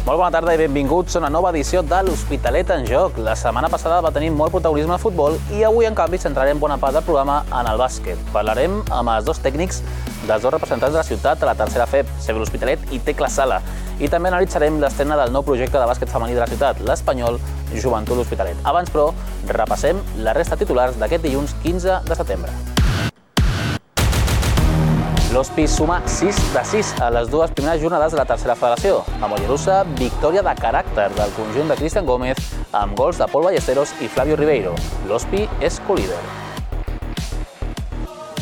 Molt bona tarda i benvinguts a una nova edició de l'Hospitalet en Joc. La setmana passada va tenir molt protagonisme al futbol i avui, en canvi, centrarem bona part del programa en el bàsquet. Parlarem amb els dos tècnics dels dos representants de la ciutat a la tercera FEB, CB l'Hospitalet i Tecla Sala. I també analitzarem l'estrena del nou projecte de bàsquet femení de la ciutat, l'Espanyol Joventut l'Hospitalet. Abans, però, repassem la resta de titulars d'aquest dilluns 15 de setembre. L'Hospi suma 6 de 6 a les dues primeres jornades de la tercera federació. A Mollerussa, victòria de caràcter del conjunt de Cristian Gómez amb gols de Pol Ballesteros i Flavio Ribeiro. L'Hospi és colíder.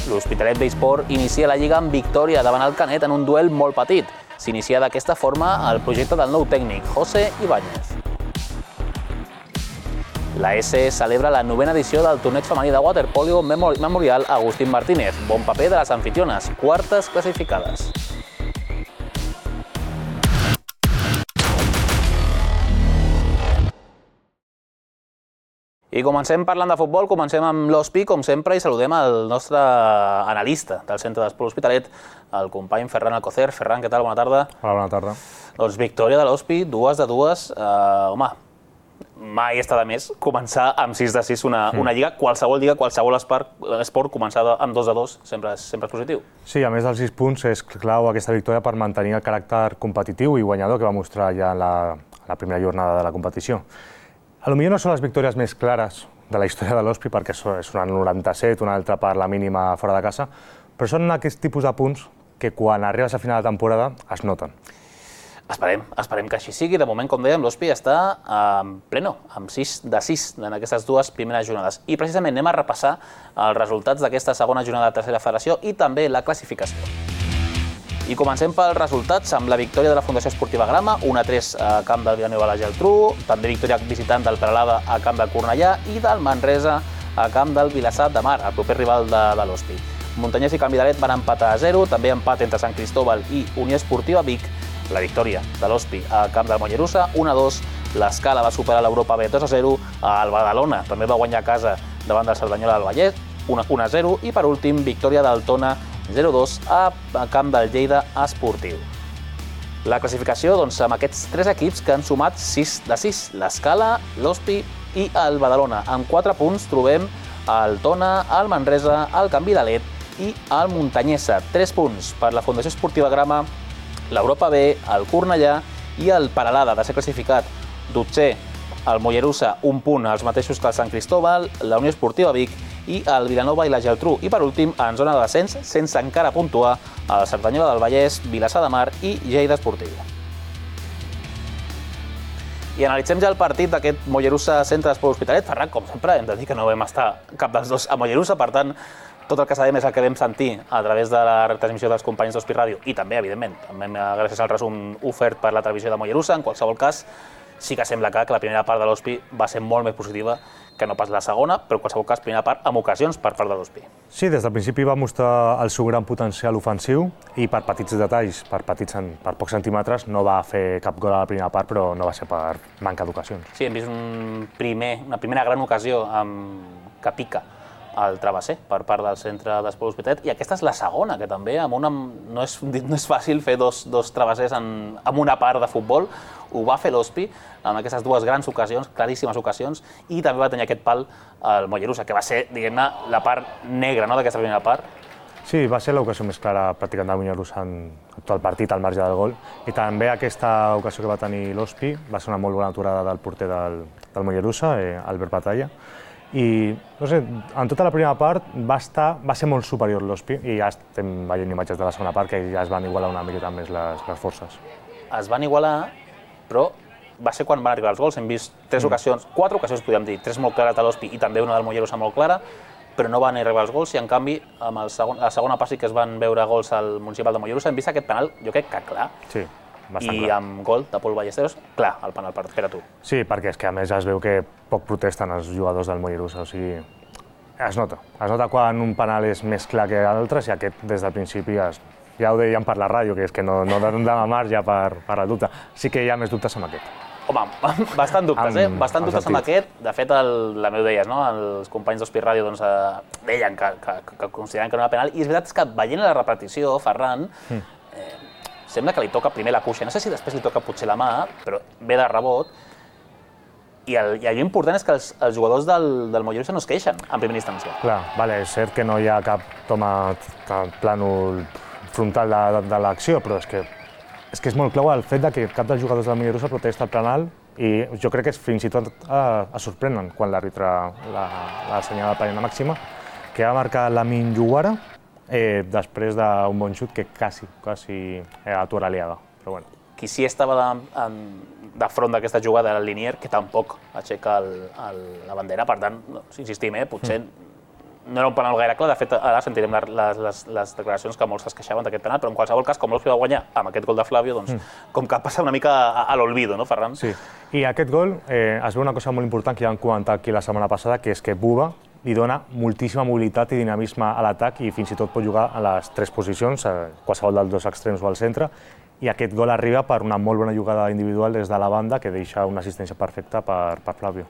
L'Hospitalet Besport inicia la Lliga amb victòria davant el Canet en un duel molt petit. S'inicia d'aquesta forma el projecte del nou tècnic, José Ibáñez. La S celebra la 9ª edició del torneig femení de waterpolo Memorial Agustín Martínez. Bon paper de les anfitriones, quartes classificades. I comencem parlant de futbol, comencem amb l'Hospi, com sempre, i saludem el nostre analista del Centre d'Esport Hospitalet, el company Ferran Alcocer. Ferran, què tal? Bona tarda. Hola, bona tarda. Doncs victòria de l'Hospi, 2 de 2. Home, mai està de més començar amb 6 de 6 una lliga, qualsevol esport començar amb 2 de 2 sempre és positiu. Sí, a més dels 6 punts és clau aquesta victòria per mantenir el caràcter competitiu i guanyador que va mostrar ja en la primera jornada de la competició. Potser no són les victòries més clares de la història de l'Hospi perquè és una 97, una altra per la mínima fora de casa, però són aquests tipus de punts que quan arribes a final de temporada es noten. Esperem que així sigui. De moment, com dèiem, l'Hospi està en pleno, amb 6 de 6 en aquestes dues primeres jornades. I precisament anem a repassar els resultats d'aquesta segona jornada de tercera federació i també la classificació. I comencem pels resultats amb la victòria de la Fundació Esportiva Grama, 1-3 a camp del Vilanova a la Geltrú, també victòria visitant del Peralada a camp del Cornellà i del Manresa a camp del Vilassar de Mar, el proper rival de l'Hospi. Montanyès i Canvidalet van empatar a 0, també empat entre Sant Cristóbal i Unió Esportiva Vic. La victòria de l'Hospi a camp del Mollerussa, 1-2. L'Escala va superar l'Europa B 2-0. El Badalona també va guanyar a casa davant del Cerdanyola del Vallès, 1-0. I per últim, victòria del Tona 0-2 a camp del Lleida Esportiu. La classificació, doncs, amb aquests 3 equips que han sumat 6 de 6. L'Escala, l'Hospi i el Badalona. Amb 4 punts trobem el Tona, el Manresa, el Canvidalet i el Montanyesa. 3 punts per la Fundació Esportiva Grama, l'Europa B, el Cornellà i el Peralada, de ser classificat 12è, el Mollerussa, 1 punt, els mateixos que el Sant Cristóbal, la Unió Esportiva Vic i el Vilanova i la Geltrú. I per últim, en zona de descens, sense encara puntuar, el Cerdanyola del Vallès, Vilassar de Mar i Lleida Esportiu. I analitzem ja el partit d'aquest Mollerussa Centre d'Esport Hospitalet. Ferran, com sempre, hem de dir que no vam estar cap dels dos a Mollerussa, per tant, tot el que sabem és el que vam sentir a través de la retransmissió dels companys d'Hospi Ràdio i també, evidentment, gràcies al resum ofert per la televisió de Mollerussa. En qualsevol cas, sí que sembla que la primera part de l'Hospi va ser molt més positiva que no pas la segona, però en qualsevol cas, primera part amb ocasions per part de l'Hospi. Sí, des del principi va mostrar el seu gran potencial ofensiu i per petits detalls, per pocs centímetres, no va fer cap gol a la primera part, però no va ser per manca d'ocasions. Sí, hem vist una primera gran ocasió que pica el travesser per part del Centre d'Esport Hospitalet, i aquesta és la segona, que també no és fàcil fer dos travessers en una part de futbol. Ho va fer l'Hospi amb aquestes dues grans ocasions, claríssimes ocasions, i també va tenir aquest pal al Mollerussa, que va ser, diguem-ne, la part negra d'aquesta primera part. Sí, va ser l'ocasió més clara pràcticament del Mollerussa en tot el partit al marge del gol, i també aquesta ocasió que va tenir l'Hospi va ser una molt bona aturada del porter del Mollerussa, Albert Batalla. I, no sé, en tota la primera part va ser molt superior l'Hospi i ja estem veient imatges de la segona part que ja es van igualar una miqueta més les forces. Es van igualar, però va ser quan van arribar els gols. Hem vist 4 ocasions, podríem dir, 3 molt clares de l'Hospi i també una del Mollerussa molt clara, però no van arribar els gols i, en canvi, amb la segona part sí que es van veure gols al Municipal de Mollerussa. Hem vist aquest penal, jo crec que clar. Sí. I amb gol de Pol Ballesteros, clar, el penal per a tu. Sí, perquè és que a més es veu que poc protesten els jugadors del Mollerussa, o sigui, es nota quan un penal és més clar que altres i aquest des del principi ja ho dèiem per la ràdio, que és que no donen marge per al dubte. Sí que hi ha més dubtes amb aquest. Home, bastant dubtes, bastant dubtes amb aquest. De fet, la meu deies, no? Els companys d'Hospi Ràdio deien que consideraven que no era penal, i és veritat que veient la repetició, Ferran, sembla que li toca primer la cuixa. No sé si després li toca potser la mà, però ve de rebot. I allò important és que els jugadors del Mollerussa no es queixen en primera instància. Clar, vale, és cert que no hi ha cap plànol frontal de l'acció, però és que és molt clau el fet que cap dels jugadors del Mollerussa protesta el penal i jo crec que fins i tot es sorprenen quan l'àrbitre l'assenyala de pena màxima, que va marcar Lamin Yuguara després d'un bon xut que quasi atura l'Aliaga, però bueno. Qui sí estava de front d'aquesta jugada era el Linier, que tampoc aixeca la bandera, per tant, insistim, potser no era un penal gaire clar, de fet ara sentirem les declaracions que molts es queixaven d'aquest penal, però en qualsevol cas, com l'Ospi va guanyar amb aquest gol de Flavio, doncs com que passa una mica a l'olvido, no, Ferran? Sí, i aquest gol es veu una cosa molt important que ja vam comentar aquí la setmana passada, que és que Buba li dona moltíssima mobilitat i dinamisme a l'atac i fins i tot pot jugar a les tres posicions, qualsevol dels dos extrems o al centre, i aquest gol arriba per una molt bona jugada individual des de la banda que deixa una assistència perfecta per Flavio.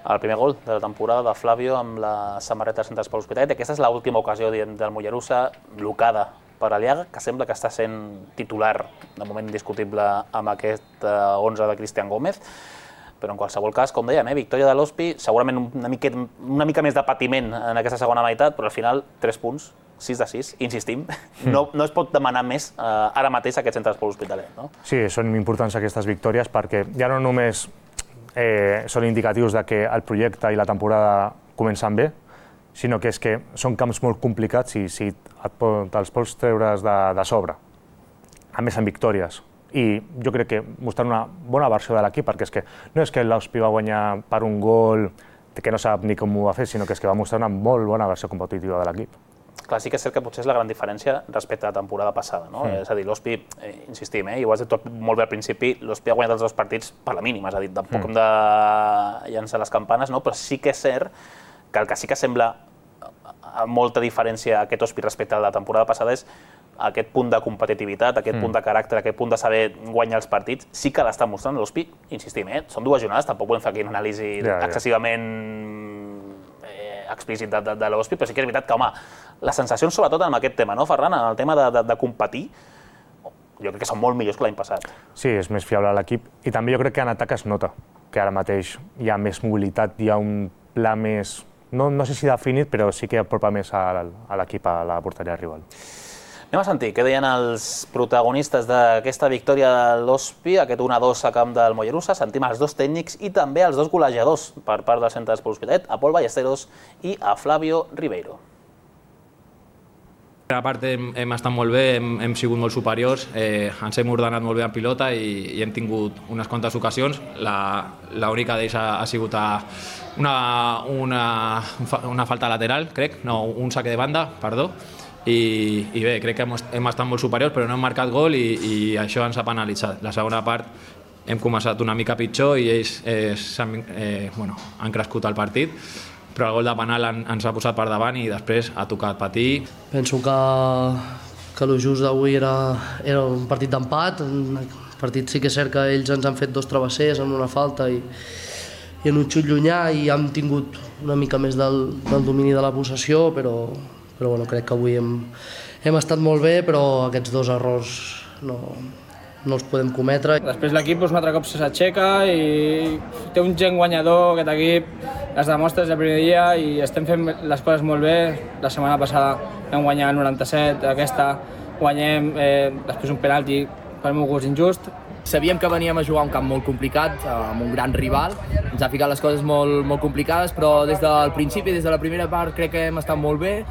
El primer gol de la temporada de Flavio amb la samarreta centrals per l'Hospitalet. Aquesta és l'última ocasió del Mollerussa blocada per Aliaga, que sembla que està sent titular, de moment indiscutible, amb aquest 11 de Cristian Gómez. Però en qualsevol cas, com dèiem, victòria de l'Hospi, segurament una mica més de patiment en aquesta segona meitat, però al final 3 punts, 6 de 6, insistim, no es pot demanar més ara mateix aquest centre d'esport Hospitalet, no? Sí, són importants aquestes victòries perquè ja no només són indicatius de que el projecte i la temporada comencen bé, sinó que és que són camps molt complicats i si te'ls pots treure's de sobre, a més amb victòries. I jo crec que mostrant una bona versió de l'equip, perquè és que no és que l'Hospi va guanyar per un gol que no sap ni com ho va fer, sinó que és que va mostrar una molt bona versió competitiva de l'equip. Clar, sí que és cert que potser és la gran diferència respecte a la temporada passada, no? És a dir, l'Hospi, insistim, i ho has dit tot molt bé al principi, l'Hospi ha guanyat els 2 partits per la mínima, és a dir, tampoc hem de llançar les campanes, no? Però sí que és cert que el que sí que sembla amb molta diferència aquest Hospi respecte a la temporada passada és aquest punt de competitivitat, aquest punt de caràcter, aquest punt de saber guanyar els partits, sí que l'està mostrant l'Hospi, insistim, són 2 jornades, tampoc volem fer aquí una anàlisi excessivament explícit de l'Hospi, però sí que és veritat que, home, les sensacions sobretot en aquest tema, no, Ferran, en el tema de competir, jo crec que són molt millors que l'any passat. Sí, és més fiable l'equip i també jo crec que en atac es nota que ara mateix hi ha més mobilitat, hi ha un pla més, no sé si definit, però sí que apropa més a l'equip a la porteria rival. Anem a sentir què deien els protagonistes d'aquesta victòria de l'Hospi, aquest 1-2 a camp del Mollerussa. Sentim els 2 tècnics i també els 2 golejadors per part del centre d'esport Hospitalet, a Pol Ballesteros i a Flavio Ribeiro. A part hem estat molt bé, hem sigut molt superiors, ens hem ordenat molt bé en pilota i hem tingut unes quantes ocasions. L'única d'ells ha sigut una falta lateral, crec, no, un saque de banda, perdó. I bé, crec que hem estat molt superiors, però no hem marcat gol i això ens ha penalitzat. La segona part hem començat una mica pitjor i ells han crescut el partit, però el gol de penal ens ha posat per davant i després ha tocat patir. Penso que el just d'avui era un partit d'empat. El partit sí que és cert que ells ens han fet 2 travessers en una falta i en un xut llunyà i hem tingut una mica més del domini de la possessió, però bueno, crec que avui hem estat molt bé, però aquests 2 errors no els podem cometre. Després l'equip un altre cop s'aixeca i té un gen guanyador, aquest equip, es demostra des del primer dia i estem fent les coses molt bé. La setmana passada vam guanyar el 97, aquesta guanyem després un penalti per meu gust injust. Sabíem que veníem a jugar un camp molt complicat, amb un gran rival, ens ha ficat les coses molt complicades, però des del principi, des de la primera part, crec que hem estat molt bé,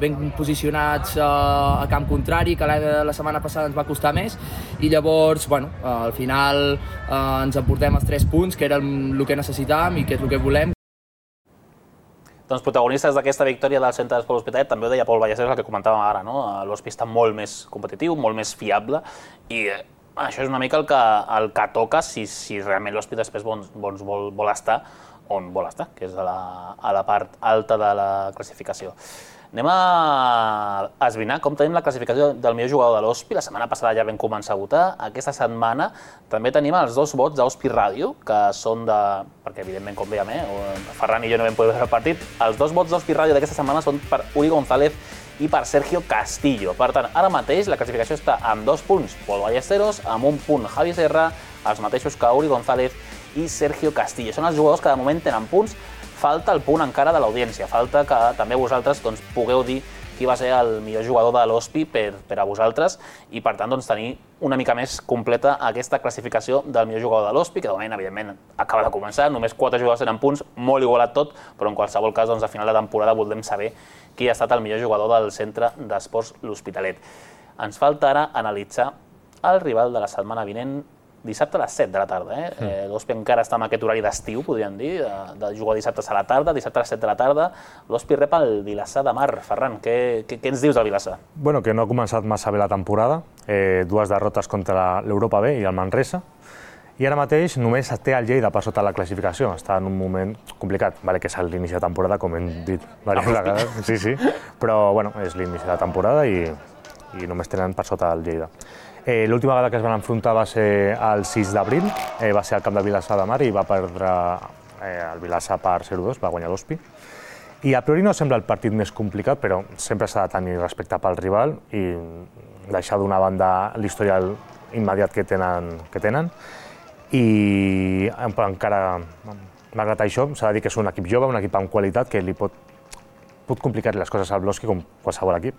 ben posicionats a camp contrari, que la setmana passada ens va costar més, i llavors, bueno, al final ens emportem els 3 punts, que era el que necessitàvem i que és el que volem. Doncs protagonistes d'aquesta victòria del centre d'esport Hospitalet, també ho deia Pol Ballesteros, el que comentàvem ara, no? L'Hospi està molt més competitiu, molt més fiable, i això és una mica el que toca si realment l'Hospi després vol estar on vol estar, que és a la part alta de la classificació. Anem a esbrinar com tenim la classificació del millor jugador de l'Hospi. La setmana passada ja vam començar a votar. Aquesta setmana també tenim els 2 vots d'Hospi Ràdio, que són de... perquè evidentment, com dèiem, Ferran i jo no vam poder veure el partit. Els 2 vots d'Hospi Ràdio d'aquesta setmana són per Uri González i per Sergio Castillo. Per tant, ara mateix la classificació està amb 2 punts Pol Ballesteros, amb 1 punt Javi Serra, els mateixos que Uri González i Sergio Castillo. Són els jugadors que de moment tenen punts. Falta el punt encara de l'audiència, falta que també vosaltres pugueu dir qui va ser el millor jugador de l'Hospi per a vosaltres i, per tant, tenir una mica més completa aquesta classificació del millor jugador de l'Hospi, que de moment, evidentment, acaba de començar, només 4 jugadors tenen punts, molt igualat tot, però en qualsevol cas, a final de temporada voldrem saber qui ha estat el millor jugador del Centre d'Esports L'Hospitalet. Ens falta ara analitzar el rival de la setmana vinent, dissabte a les 7 de la tarda. L'Hospi encara està en aquest horari d'estiu, podríem dir, de jugar dissabtes a la tarda, dissabte a les 7 de la tarda. L'Hospi rep el Vilassar de Mar. Ferran, què ens dius del Vilassar? Bueno, que no ha començat massa bé la temporada, 2 derrotes contra l'Europa B i el Manresa, i ara mateix només té el Lleida per sota la classificació. Està en un moment complicat, que és l'inici de temporada, com hem dit diverses vegades, sí, però bueno, és l'inici de temporada i només tenen per sota el Lleida. L'última vegada que es van enfrontar va ser el 6 d'abril, va ser al camp de Vilassar de Mar i va perdre el Vilassar per 0-2, va guanyar l'Hospi. I a priori no sembla el partit més complicat, però sempre s'ha de tenir respecte pel rival i deixar d'una banda l'historial immediat que tenen. I encara, malgrat això, s'ha de dir que és un equip jove, un equip amb qualitat que li pot complicar les coses al L'Hospi com qualsevol equip.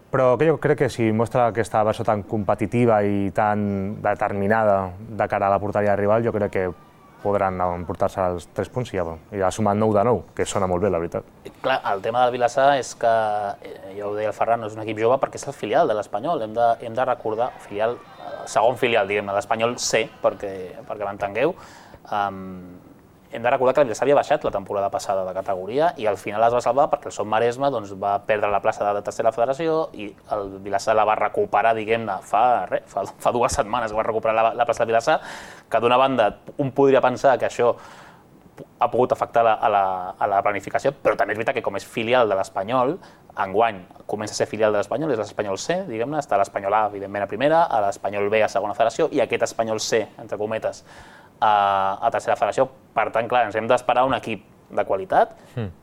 Però jo crec que si mostra aquesta versió tan competitiva i tan determinada de cara a la porteria rival, jo crec que podran emportar-se els 3 punts i ha sumat 9 de 9, que sona molt bé, la veritat. Clar, el tema del Vilassar és que, ja ho deia el Ferran, no és un equip jove perquè és el filial de l'Espanyol. Hem de recordar, segon filial, diguem-ne, l'Espanyol C, perquè m'entengueu. Hem de recordar que el Vilassar havia baixat la temporada passada de categoria i al final es va salvar perquè el Som Maresme va perdre la plaça de tercera federació i el Vilassar la va recuperar, diguem-ne, fa 2 setmanes que va recuperar la plaça del Vilassar, que d'una banda un podria pensar que això ha pogut afectar a la planificació, però també és veritat que com és filial de l'Espanyol, enguany comença a ser filial de l'Espanyol, és l'Espanyol C, diguem-ne, està l'Espanyol A, evidentment, a primera, a l'Espanyol B a segona federació i aquest Espanyol C, entre cometes, a tercera federació. Per tant, clar, ens hem d'esperar un equip de qualitat,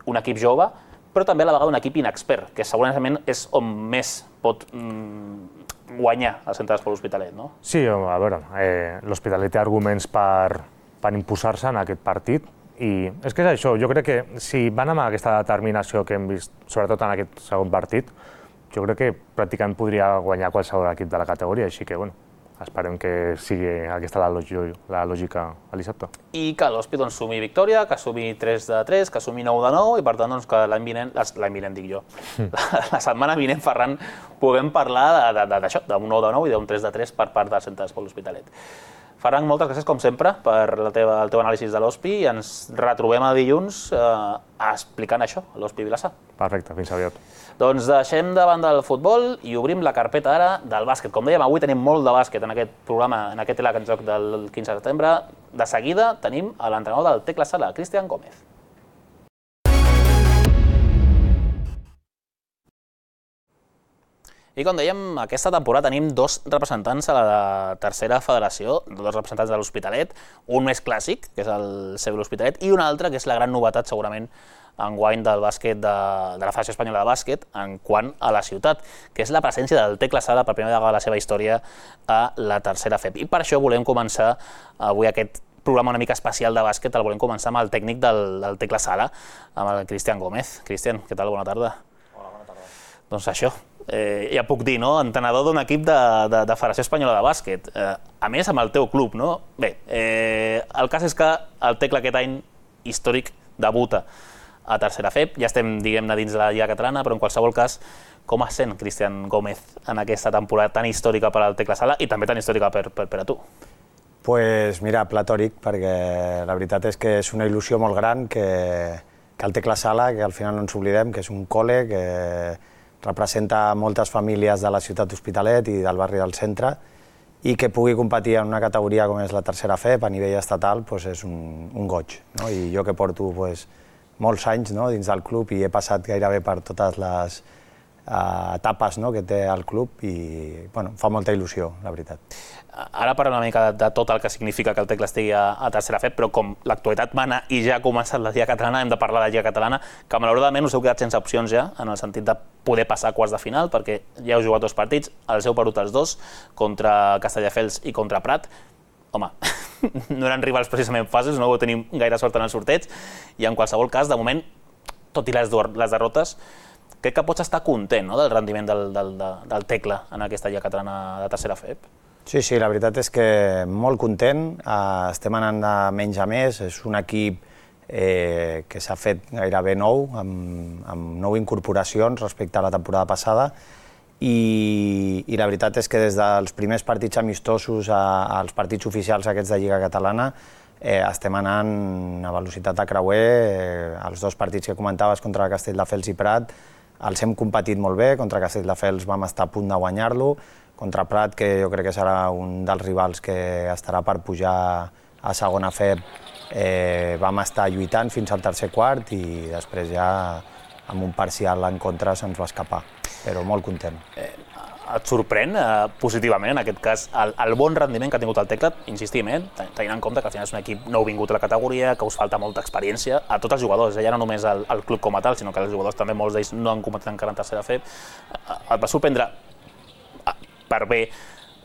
un equip jove, però també a la vegada un equip inexpert, que segurament és on més pot guanyar el Centre d'Esports L'Hospitalet, no? Sí, a veure, l'Hospitalet té arguments per imposar-se en aquest partit i és que és això, jo crec que si van amb aquesta determinació que hem vist, sobretot en aquest segon partit, jo crec que pràcticament podria guanyar qualsevol equip de la categoria, així que, bueno, esperem que sigui aquesta la lògica el dissabte. I que l'Hospi sumi victòria, que sumi 3 de 3, que sumi 9 de 9 i per tant que l'any vinent dic jo, la setmana vinent, Ferran, puguem parlar d'això, d'un 9 de 9 i d'un 3 de 3 per part del Centre d'Esports L'Hospitalet. Ferran, moltes gràcies com sempre per el teu anàlisi de l'Hospi i ens retrobem a dilluns explicant això, l'Hospi Vilassar. Perfecte, fins aviat. Doncs deixem de banda el futbol i obrim la carpeta ara del bàsquet. Com dèiem, avui tenim molt de bàsquet en aquest programa, en aquest Telac en joc del 15 de setembre. De seguida tenim l'entrenador del Tecla Sala, Cristian Gómez. I com dèiem, aquesta temporada tenim 2 representants a la tercera federació, 2 representants de l'Hospitalet, un més clàssic, que és el seu l'Hospitalet, i un altre, que és la gran novetat segurament enguany del bàsquet de la Federació Espanyola de Bàsquet en quant a la ciutat, que és la presència del Tecla Sala per primera vegada a la seva història a la tercera FEP. I per això volem començar avui aquest programa una mica especial de bàsquet, el volem començar amb el tècnic del Tecla Sala, amb el Cristian Gómez. Cristian, què tal? Bona tarda. Hola, bona tarda. Doncs això, ja puc dir, no? Entrenador d'un equip de Federació Espanyola de Bàsquet. A més, amb el teu club, no? Bé, el cas és que el Tecla aquest any històric debuta a tercera FEP, ja estem, diguem-ne, dins de la Lliga Catalana, però en qualsevol cas, com es sent Cristian Gómez en aquesta temporada tan històrica per al Tecla Sala i també tan històrica per a tu? Pues mira, platòric, perquè la veritat és que és una il·lusió molt gran que el Tecla Sala, que al final no ens oblidem, que és un col·le que representa moltes famílies de la ciutat d'Hospitalet i del barri del centre, i que pugui competir en una categoria com és la tercera FEP a nivell estatal, pues és un goig, no? I jo que porto molts anys, no, dins del club i he passat gairebé per totes les etapes que té el club i fa molta il·lusió, la veritat. Ara parlem una mica de tot el que significa que el Tecla estigui a tercera FEP, però com l'actualitat mana i ja ha començat la Lliga Catalana, hem de parlar de la Lliga Catalana, que malauradament us heu quedat sense opcions ja, en el sentit de poder passar a quarts de final, perquè ja heu jugat 2 partits, els heu perdut els 2, contra Castelldefels i contra Prat. Home, no eren rivals precisament fàcils, no vau tenir gaire sort en el sorteig, i en qualsevol cas, de moment, tot i les derrotes, crec que pots estar content del rendiment del Tecla en aquesta Lliga Catalana de tercera FEP. Sí, la veritat és que molt content, estem anant de menys a més, és un equip que s'ha fet gairebé nou, amb 9 incorporacions respecte a la temporada passada, i la veritat és que des dels primers partits amistosos als partits oficials aquests de Lliga Catalana estem anant a velocitat de creuer, els 2 partits que comentaves contra Castelldefels i Prat els hem competit molt bé, contra Castelldefels vam estar a punt de guanyar-lo, contra Prat, que jo crec que serà un dels rivals que estarà per pujar a segona FEP, vam estar lluitant fins al tercer quart i després ja amb un parcial en contra se'ns va escapar, però molt content. Et sorprèn positivament, en aquest cas, el bon rendiment que ha tingut el Tecla, insistim, tenint en compte que al final és un equip nou vingut a la categoria, que us falta molta experiència a tots els jugadors, ja no només al club com a tal, sinó que els jugadors també, molts d'ells no han competit encara en tercera FEP. Et va sorprendre per bé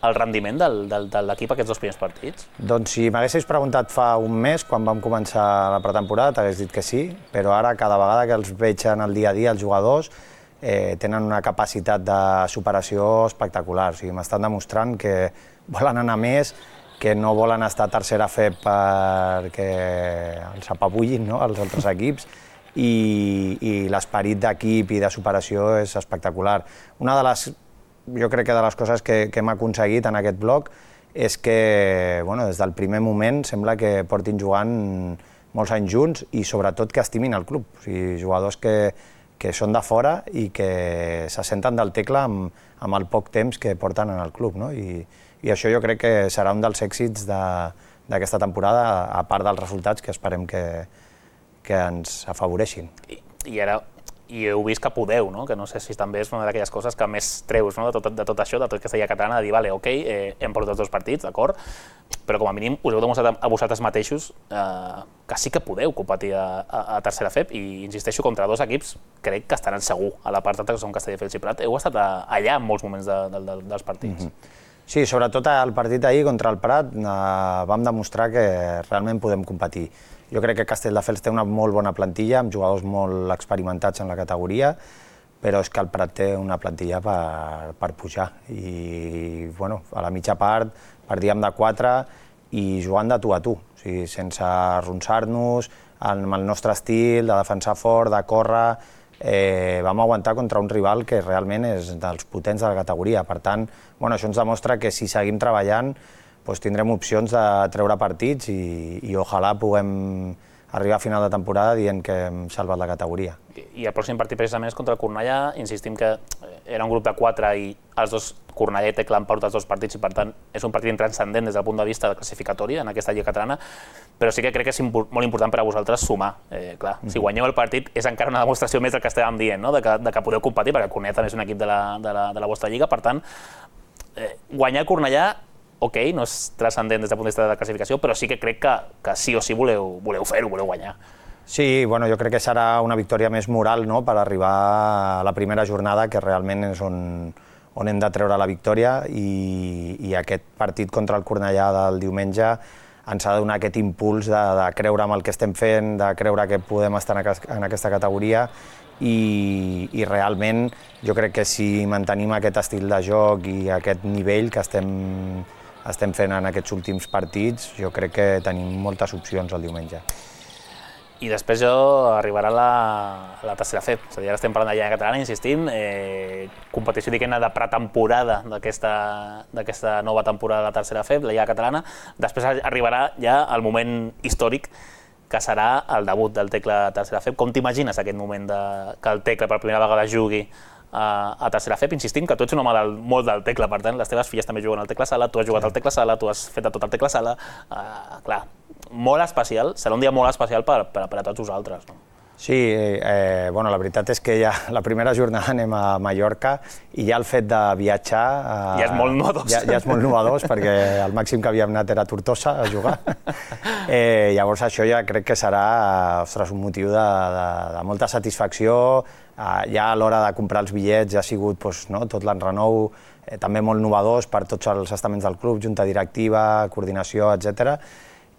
el rendiment de l'equip aquests 2 primers partits? Doncs si m'haguessis preguntat fa un mes, quan vam començar la pretemporada, t'hagués dit que sí, però ara cada vegada que els veig en el dia a dia, els jugadors, tenen una capacitat de superació espectacular. O sigui, m'estan demostrant que volen anar més, que no volen estar a tercera FEP perquè els apabullin els altres equips, i l'esperit d'equip i de superació és espectacular. Jo crec que de les coses que hem aconseguit en aquest bloc és que des del primer moment sembla que portin jugant molts anys junts i sobretot que estimin el club. O sigui, jugadors que són de fora i que se senten del Tecla amb el poc temps que porten en el club. I això jo crec que serà un dels èxits d'aquesta temporada, a part dels resultats que esperem que ens afavoreixin. I heu vist que podeu, que no sé si també és una d'aquelles coses que més treus de tot això, de tota aquesta Lliga Catalana, de dir, vale, ok, hem perdut els 2 partits, d'acord, però com a mínim us heu demostrat a vosaltres mateixos que sí que podeu competir a tercera FEP, i insisteixo, contra 2 equips crec que estaran segur a la part alta, que són Castelldefels i Prat. Heu estat allà en molts moments dels partits. Sí, sobretot al partit d'ahir contra el Prat vam demostrar que realment podem competir. Jo crec que Castelldefels té una molt bona plantilla, amb jugadors molt experimentats en la categoria, però és que el Prat té una plantilla per pujar. I a la mitja part perdíem de 4 i jugant de tu a tu, o sigui, sense arronsar-nos, amb el nostre estil de defensar fort, de córrer, vam aguantar contra un rival que realment és dels potents de la categoria. Per tant, això ens demostra que si seguim treballant tindrem opcions de treure partits i ojalà puguem arribar a final de temporada dient que hem salvat la categoria. I el pròxim partit precisament és contra el Cornellà. Insistim que era un grup de 4 i els 2, Cornellà i Tecla, han perdut els 2 partits i per tant és un partit intranscendent des del punt de vista de classificatori en aquesta Lliga Catalana, però sí que crec que és molt important per a vosaltres sumar. Clar, si guanyeu el partit és encara una demostració més del que estàvem dient, de que podeu competir, perquè el Cornellà també és un equip de la vostra lliga, per tant, guanyar el Cornellà, ok, no és transcendent des del punt de vista de la classificació, però sí que crec que sí o sí voleu fer-ho, voleu guanyar. Sí, jo crec que serà una victòria més moral per arribar a la primera jornada, que realment és on hem de treure la victòria, i aquest partit contra el Cornellà del diumenge ens ha de donar aquest impuls de creure en el que estem fent, de creure que podem estar en aquesta categoria, i realment jo crec que si mantenim aquest estil de joc i aquest nivell que estem fent en aquests últims partits, jo crec que tenim moltes opcions el diumenge. I després arribarà la tercera FEP, és a dir, ara estem parlant de Lliga Catalana, insistim, competició de pretemporada d'aquesta nova temporada de la tercera FEP, la Lliga Catalana. Després arribarà ja el moment històric que serà el debut del Tecla a tercera FEP. Com t'imagines aquest moment que el Tecla per primera vegada jugui a tercera FEP? Insistim que tu ets un home molt del Tecla, per tant, les teves filles també juguen al Tecla Sala, tu has jugat al Tecla Sala, tu has fet tot el Tecla Sala, clar, molt especial, serà un dia molt especial per a tots vosaltres. Sí, la veritat és que ja la primera jornada anem a Mallorca i ja el fet de viatjar... Ja és molt novedós. Ja és molt novedós, perquè el màxim que havíem anat era a Tortosa a jugar. Llavors això ja crec que serà un motiu de molta satisfacció. Ja a l'hora de comprar els bitllets ja ha sigut tot l'enrenou, també molt novedós per tots els estaments del club, junta directiva, coordinació, etc.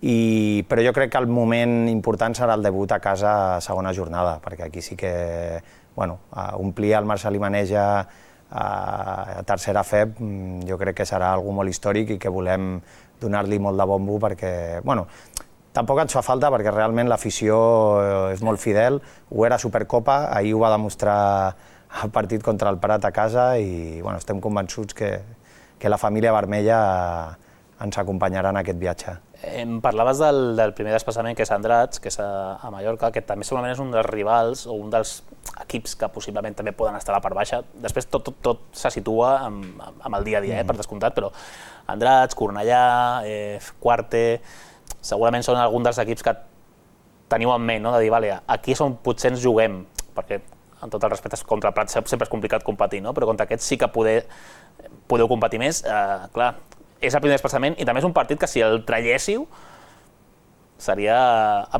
Però jo crec que el moment important serà el debut a casa a segona jornada, perquè aquí sí que omplir el Marcel Maneja a tercera FEB jo crec que serà algo molt històric i que volem donar-li molt de bombo perquè, tampoc ens fa falta perquè realment l'afició és molt fidel, ho era a Supercopa, ahir ho va demostrar el partit contra el Prat a casa i estem convençuts que la família vermella ens acompanyarà en aquest viatge. Em parlaves del primer desplaçament, que és Andratx, que és a Mallorca, que també segurament és un dels rivals o un dels equips que possiblement també poden estar a la part baixa. Després tot se situa amb el dia a dia, per descomptat, però Andratx, Cornellà, Quarte, segurament són alguns dels equips que teniu en ment, de dir, aquí és on potser ens juguem, perquè amb tot el respecte contra el Prat sempre és complicat competir, però contra aquests sí que podeu competir més, clar. És el primer desplaçament i també és un partit que si el traiéssiu seria,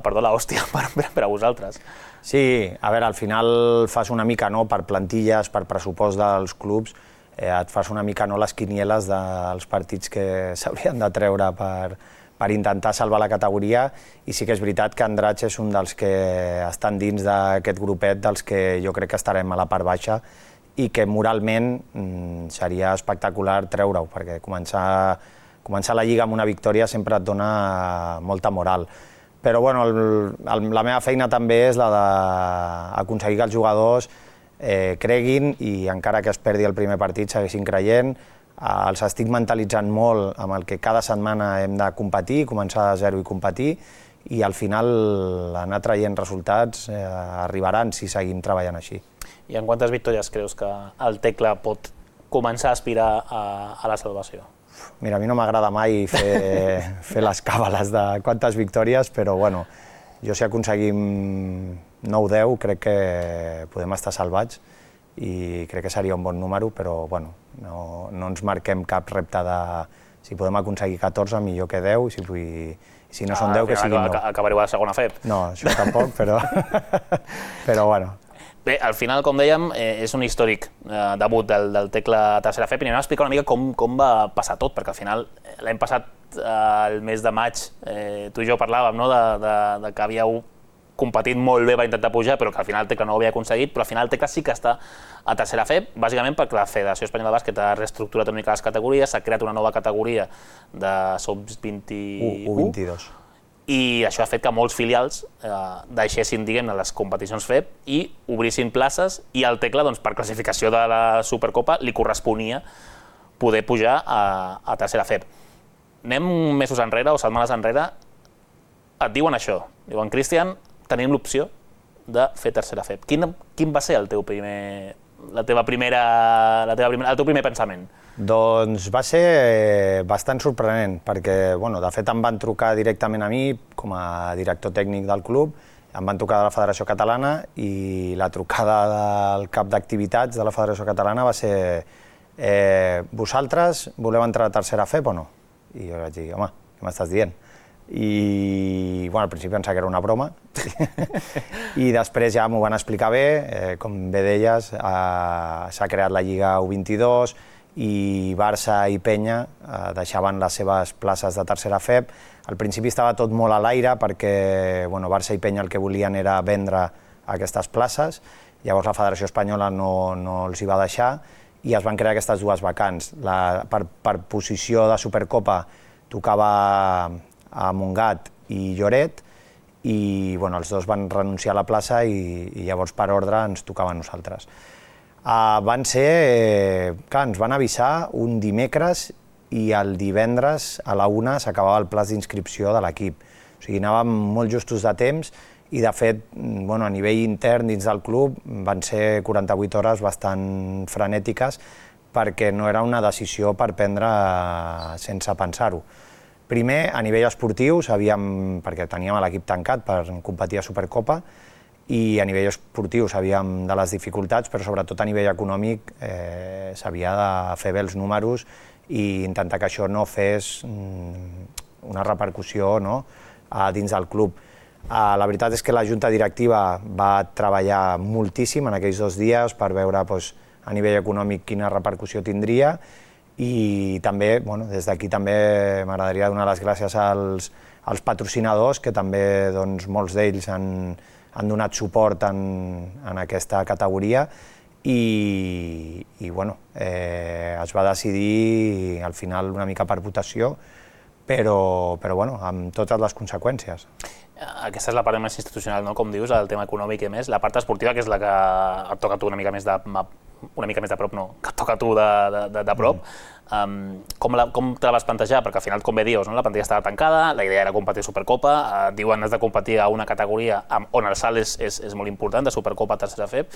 perdó, l'hòstia per a vosaltres. Sí, a veure, al final fas una mica per plantilles, per pressupost dels clubs, et fas una mica les quinieles dels partits que s'haurien de treure per intentar salvar la categoria i sí que és veritat que Andratx és un dels que estan dins d'aquest grupet dels que jo crec que estarem a la part baixa i que moralment seria espectacular treure-ho, perquè començar la Lliga amb una victòria sempre et dona molta moral. Però la meva feina també és la d'aconseguir que els jugadors creguin i encara que es perdi el primer partit segueixin creient. Els estic mentalitzant molt amb el que cada setmana hem de competir, començar de zero i competir, i al final anar traient resultats arribaran si seguim treballant així. I en quantes victòries creus que el Tecla pot començar a aspirar a la salvació? Mira, a mi no m'agrada mai fer les càbales de quantes victòries, però jo si aconseguim 9-10 crec que podem estar salvats i crec que seria un bon número, però no ens marquem cap repte de si podem aconseguir 14, millor que 10, i si no són 10, que siguin 9. Acabareu a la segona FEB. No, això tampoc, però Bé, al final, com dèiem, és un històric debut del Tecla a tercera FEB i anem a explicar una mica com va passar tot, perquè al final l'any passat, el mes de maig, tu i jo parlàvem de que havíeu competit molt bé per intentar pujar, però que al final el Tecla no ho havia aconseguit, però al final el Tecla sí que està a tercera FEB, bàsicament perquè la Federació Espanyola de Bàsquet ha reestructurat una mica les categories, s'ha creat una nova categoria de sub-21, U22. I això ha fet que molts filials deixessin, diguem-ne, les competicions FEB i obrissin places, i al Tecla, per classificació de la Supercopa, li corresponia poder pujar a tercera FEB. Anem mesos enrere o setmanes enrere, et diuen això, diuen, Cristian, tenim l'opció de fer tercera FEB. Quin va ser el teu primer pensament? Doncs va ser bastant sorprenent, perquè de fet em van trucar directament a mi com a director tècnic del club, em van trucar de la Federació Catalana i la trucada del cap d'activitats de la Federació Catalana va ser vosaltres voleu entrar a tercera FEB o no? I jo vaig dir, home, què m'estàs dient? I al principi pensava que era una broma i després ja m'ho van explicar bé, com bé deies, s'ha creat la Lliga U22 i Barça i Penya deixaven les seves places de tercera FEB. Al principi estava tot molt a l'aire perquè Barça i Penya el que volien era vendre aquestes places, llavors la Federació Espanyola no els hi va deixar i es van crear aquestes dues vacants. Per posició de Supercopa tocava a Montgat i Lloret i els dos van renunciar a la plaça i llavors per ordre ens tocava a nosaltres. Ens van avisar un dimecres i el divendres a la 1 s'acabava el plaç d'inscripció de l'equip. O sigui, anàvem molt justos de temps i de fet a nivell intern dins del club van ser 48 hores bastant frenètiques perquè no era una decisió per prendre sense pensar-ho. Primer, a nivell esportiu, perquè teníem l'equip tancat per competir a Supercopa, i a nivell esportiu sabíem de les dificultats, però sobretot a nivell econòmic s'havia de fer bé els números i intentar que això no fes una repercussió dins del club. La veritat és que la junta directiva va treballar moltíssim en aquells 2 dies per veure a nivell econòmic quina repercussió tindria i també, des d'aquí també m'agradaria donar les gràcies als patrocinadors, que també molts d'ells han donat suport en aquesta categoria i es va decidir al final una mica per votació, però amb totes les conseqüències. Aquesta és la part més institucional, com dius, el tema econòmic i més. La part esportiva, que és la que et toca a tu una mica més de prop, no, que et toca a tu de prop. Com te la vas plantejar? Perquè al final, com bé dius, la plantilla estava tancada, la idea era competir Supercopa, diuen has de competir a una categoria on el salt és molt important, de Supercopa a tercera FEB.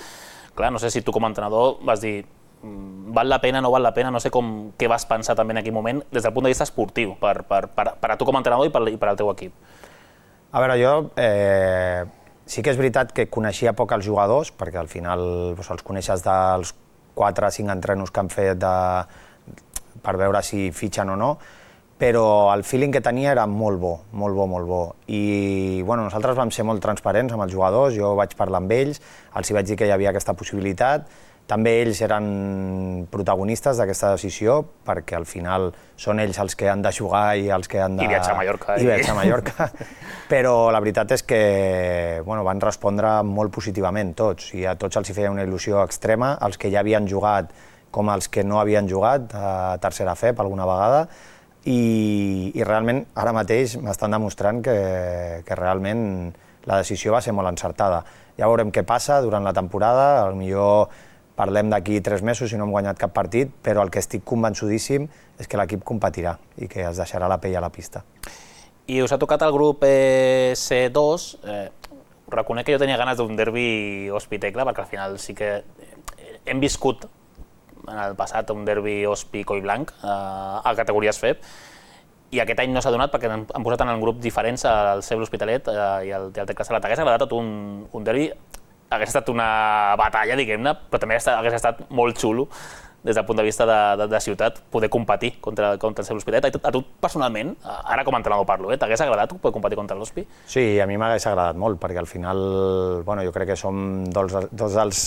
Clar, no sé si tu com a entrenador vas dir val la pena, no val la pena, no sé què vas pensar també en aquell moment des del punt de vista esportiu, per a tu com a entrenador i per al teu equip. A veure, jo sí que és veritat que coneixia poc els jugadors, perquè al final els coneixes dels 4 o 5 entrenos que han fet per veure si fitxen o no, però el feeling que tenia era molt bo, molt bo, molt bo. I nosaltres vam ser molt transparents amb els jugadors, jo vaig parlar amb ells, els vaig dir que hi havia aquesta possibilitat. També ells eren protagonistes d'aquesta decisió, perquè al final són ells els que han de jugar i els que han de... I viatjar a Mallorca. I viatjar a Mallorca. Però la veritat és que van respondre molt positivament tots, i a tots els hi feia una il·lusió extrema, els que ja havien jugat com els que no havien jugat a tercera FEB alguna vegada, i realment ara mateix m'estan demostrant que realment la decisió va ser molt encertada. Ja veurem què passa durant la temporada, potser parlem d'aquí 3 mesos si no hem guanyat cap partit, però el que estic convençudíssim és que l'equip competirà i que es deixarà la pell a la pista. I us ha tocat el grup C2. Reconec que jo tenia ganes d'un derbi Ospi-Tecla, perquè al final sí que hem viscut en el passat un derbi Ospi-Collblanc a categories FEB, i aquest any no s'ha donat perquè han posat en un grup diferents el CEB l'Hospitalet i el Tecla Sala. T'hagués agradat un derbi? Hagués estat una batalla, diguem-ne, però també hagués estat molt xulo des del punt de vista de ciutat poder competir contra el CEB l'Hospitalet. A tu personalment, ara com a entrenador parlo, t'hagués agradat poder competir contra l'Hospi? Sí, a mi m'hagués agradat molt, perquè al final jo crec que som dos dels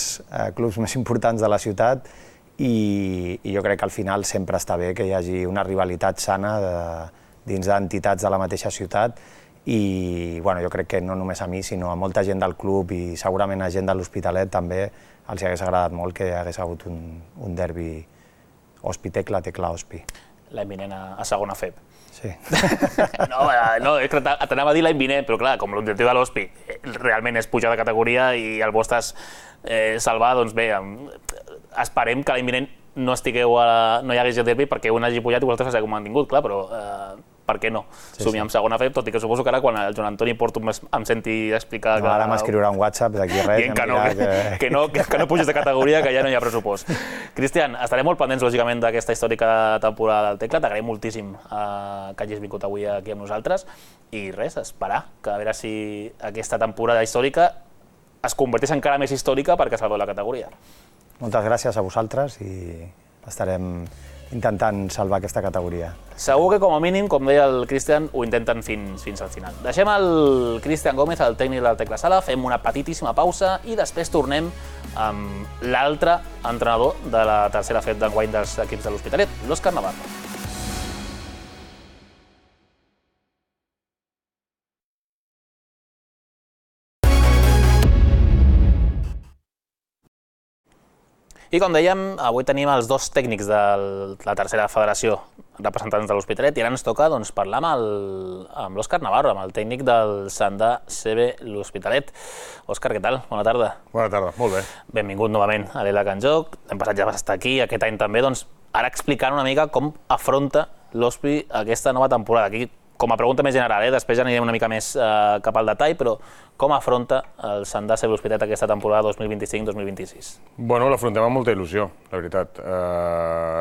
clubs més importants de la ciutat i jo crec que al final sempre està bé que hi hagi una rivalitat sana dins d'entitats de la mateixa ciutat, i jo crec que no només a mi, sinó a molta gent del club i segurament a gent de l'Hospitalet també els hagués agradat molt que hi hagués hagut un derbi Ospi-Tecla, Tecla-Ospi. L'any vinent a segona FEB. Sí. No, t'anava a dir l'any vinent, però clar, com l'objectiu de l'Ospi realment és pujar de categoria i el vostre és salvar, doncs bé, esperem que l'any vinent no hi hagués el derbi perquè un hagi pujat i vosaltres s'hagi mantingut, clar, però per què no? Somiem amb segona FEB, tot i que suposo que ara quan el Joan Antoni Porto em senti explicar... Ara m'escriurà un WhatsApp d'aquí res... Dient que no puges de categoria, que ja no hi ha pressupost. Cristian, estarem molt pendents, lògicament, d'aquesta històrica temporada del Tecla. T'agraïm moltíssim que hagis vingut avui aquí amb nosaltres. I res, esperar, que a veure si aquesta temporada històrica es converteix encara més històrica perquè salveu la categoria. Moltes gràcies a vosaltres i estarem intentant salvar aquesta categoria. Segur que com a mínim, com deia el Cristian, ho intenten fins al final. Deixem el Cristian Gómez, el tècnic del Tecla Sala, fem una petitíssima pausa i després tornem amb l'altre entrenador de la tercera FEB d'enguany dels equips de l'Hospitalet, l'Òscar Navarro. I com dèiem, avui tenim els 2 tècnics de la tercera federació representants de l'Hospitalet i ara ens toca parlar amb l'Òscar Navarro, amb el tècnic del Sandà CB l'Hospitalet. Òscar, què tal? Bona tarda. Bona tarda, molt bé. Benvingut novament a l'Ela Can Joc. L'any passat ja vas estar aquí, aquest any també. Ara explicant una mica com afronta l'Hospi aquesta nova temporada. Aquí, com a pregunta més general, després ja anirem una mica més cap al detall, però com afronta el Sandà CB l'Hospitalet aquesta temporada 2025-2026? Bueno, l'afrontem amb molta il·lusió, la veritat.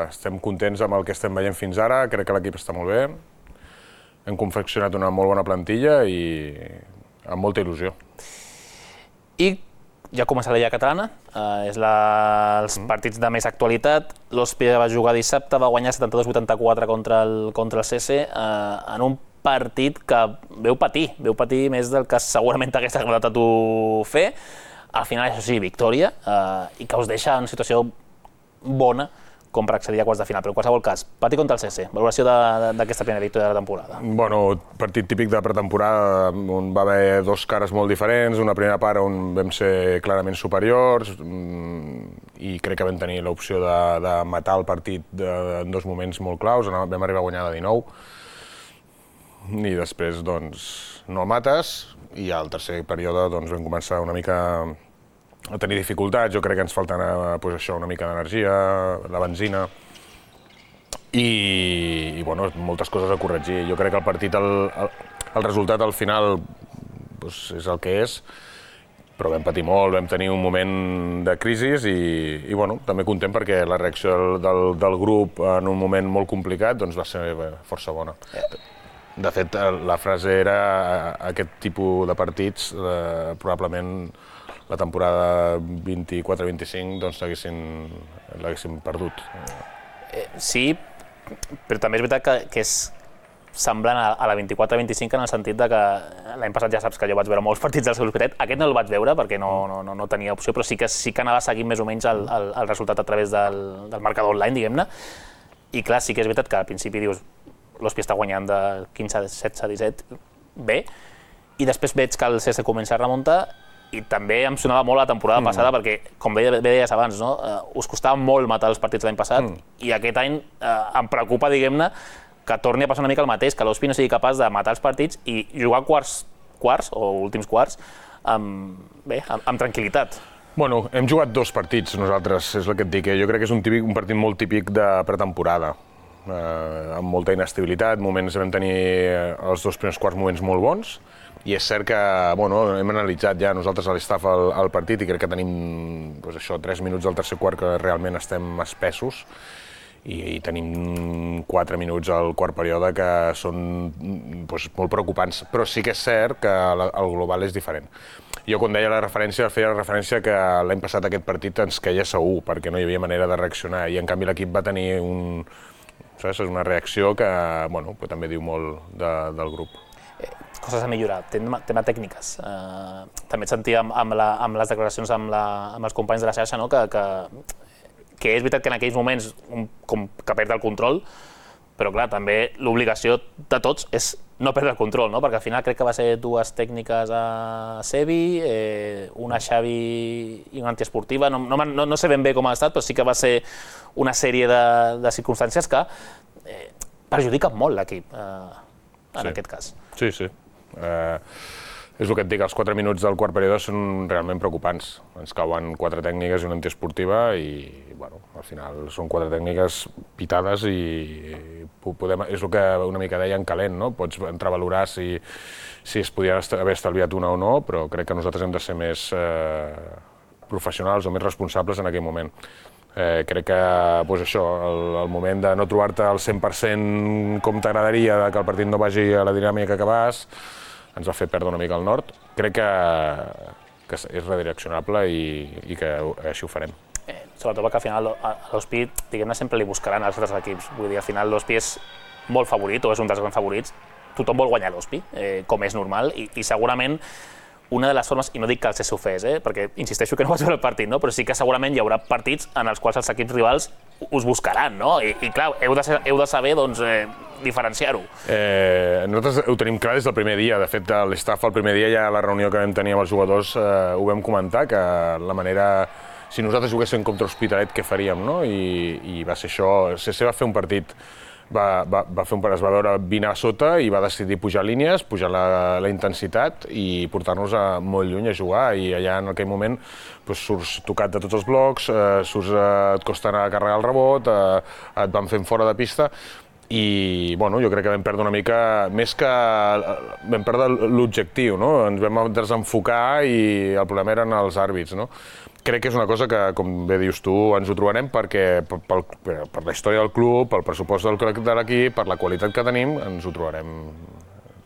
Estem contents amb el que estem veient fins ara, crec que l'equip està molt bé. Hem confeccionat una molt bona plantilla i amb molta il·lusió. I ja comença la Lliga Catalana, és els partits de més actualitat. L'Hòstia va jugar dissabte, va guanyar 72-84 contra el CC, en un partit que veu patir més del que segurament t'hagués agradat a tu fer. Al final, això sí, victòria, i que us deixa en situació bona com per accedir a quarts de final, però en qualsevol cas, Pati contra el CC, valoració d'aquesta primera victòria de la temporada. Bueno, partit típic de pretemporada, on va haver dos cares molt diferents, una primera part on vam ser clarament superiors i crec que vam tenir l'opció de matar el partit en dos moments molt claus, vam arribar a guanyar de 19 i després doncs no el mates i al tercer període doncs vam començar una mica a tenir dificultats, jo crec que ens falta una mica d'energia, la benzina i bueno, moltes coses a corregir. Jo crec que el partit, el resultat al final és el que és, però vam patir molt, vam tenir un moment de crisi i bueno, també content perquè la reacció del grup en un moment molt complicat doncs va ser força bona. De fet, la frase era aquest tipus de partits probablement la temporada 24-25 doncs l'haguéssim perdut. Sí, però també és veritat que és semblant a la 24-25 en el sentit de que l'any passat ja saps que jo vaig veure molts partits del seu Hospitalet. Aquest no el vaig veure perquè no tenia opció, però sí que anava seguint més o menys el resultat a través del marcador online, diguem-ne. I clar, sí que és veritat que al principi dius l'Hòstia està guanyant de 15, 16, 17, bé, i després veig que el CS comença a remuntar i també em sonava molt la temporada passada perquè, com bé deies abans, no? Us costava molt matar els partits l'any passat i aquest any em preocupa, diguem-ne, que torni a passar una mica el mateix, que l'Hòstia no sigui capaç de matar els partits i jugar quarts o últims quarts amb tranquil·litat. Bueno, hem jugat dos partits nosaltres, és el que et dic. Jo crec que és un partit molt típic de pretemporada, amb molta inestabilitat, moments vam tenir els dos primers quarts moments molt bons, i és cert que hem analitzat ja nosaltres a l'estaf el partit i crec que tenim 3 minuts del tercer quart que realment estem espessos i tenim 4 minuts al quart període que són molt preocupants, però sí que és cert que el global és diferent. Jo quan deia la referència, feia la referència que l'any passat aquest partit ens queia segur perquè no hi havia manera de reaccionar i en canvi l'equip va tenir una reacció que també diu molt del grup. Coses a millorar, tema tècniques. També et sentia amb les declaracions amb els companys de la xarxa que és veritat que en aquells moments com que perd el control, però clar, també l'obligació de tots és no perdre el control, no? Perquè al final crec que va ser dues tècniques a Sevi, una a Xavi i una antiesportiva, no sé ben bé com ha estat, però sí que va ser una sèrie de circumstàncies que perjudiquen molt l'equip, en aquest cas. Sí. És el que et dic, els 4 minuts del quart període són realment preocupants. Ens cauen 4 tècniques i una antiesportiva i al final són 4 tècniques pitades i és el que una mica deia en calent, no? Pots entrar a valorar si es podia haver estalviat una o no, però crec que nosaltres hem de ser més professionals o més responsables en aquell moment. Crec que el moment de no trobar-te al 100% com t'agradaria, que el partit no vagi a la dinàmica que vas, ens va fer perdre una mica el nord. Crec que és redireccionable i que així ho farem. Sobretot perquè al final a l'Hospi, diguem-ne, sempre li buscaran als altres equips. Vull dir, al final l'Hospi és molt favorit o és un dels grans favorits. Tothom vol guanyar l'Hospi, com és normal, i segurament una de les formes, i no dic que el CC ho fes, perquè insisteixo que no vaig veure el partit, però sí que segurament hi haurà partits en els quals els equips rivals us buscaran, no? I clar, heu de saber diferenciar-ho. Nosaltres ho tenim clar des del primer dia. De fet, l'estaf el primer dia, ja a la reunió que vam tenir amb els jugadors, ho vam comentar, que la manera... Si nosaltres juguéssim contra Hospitalet, què faríem, no? I va ser això. El CC va fer un partit, es va veure 20 a sota i va decidir pujar línies, pujar la intensitat i portar-nos molt lluny a jugar. I allà en aquell moment surts tocat de tots els blocs, et costa anar a carregar el rebot, et van fent fora de pista. I jo crec que vam perdre una mica, més que vam perdre l'objectiu, ens vam desenfocar i el problema eren els àrbits. Crec que és una cosa que, com bé dius tu, ens ho trobarem perquè per la història del club, pel pressupost de l'equip, per la qualitat que tenim, ens ho trobarem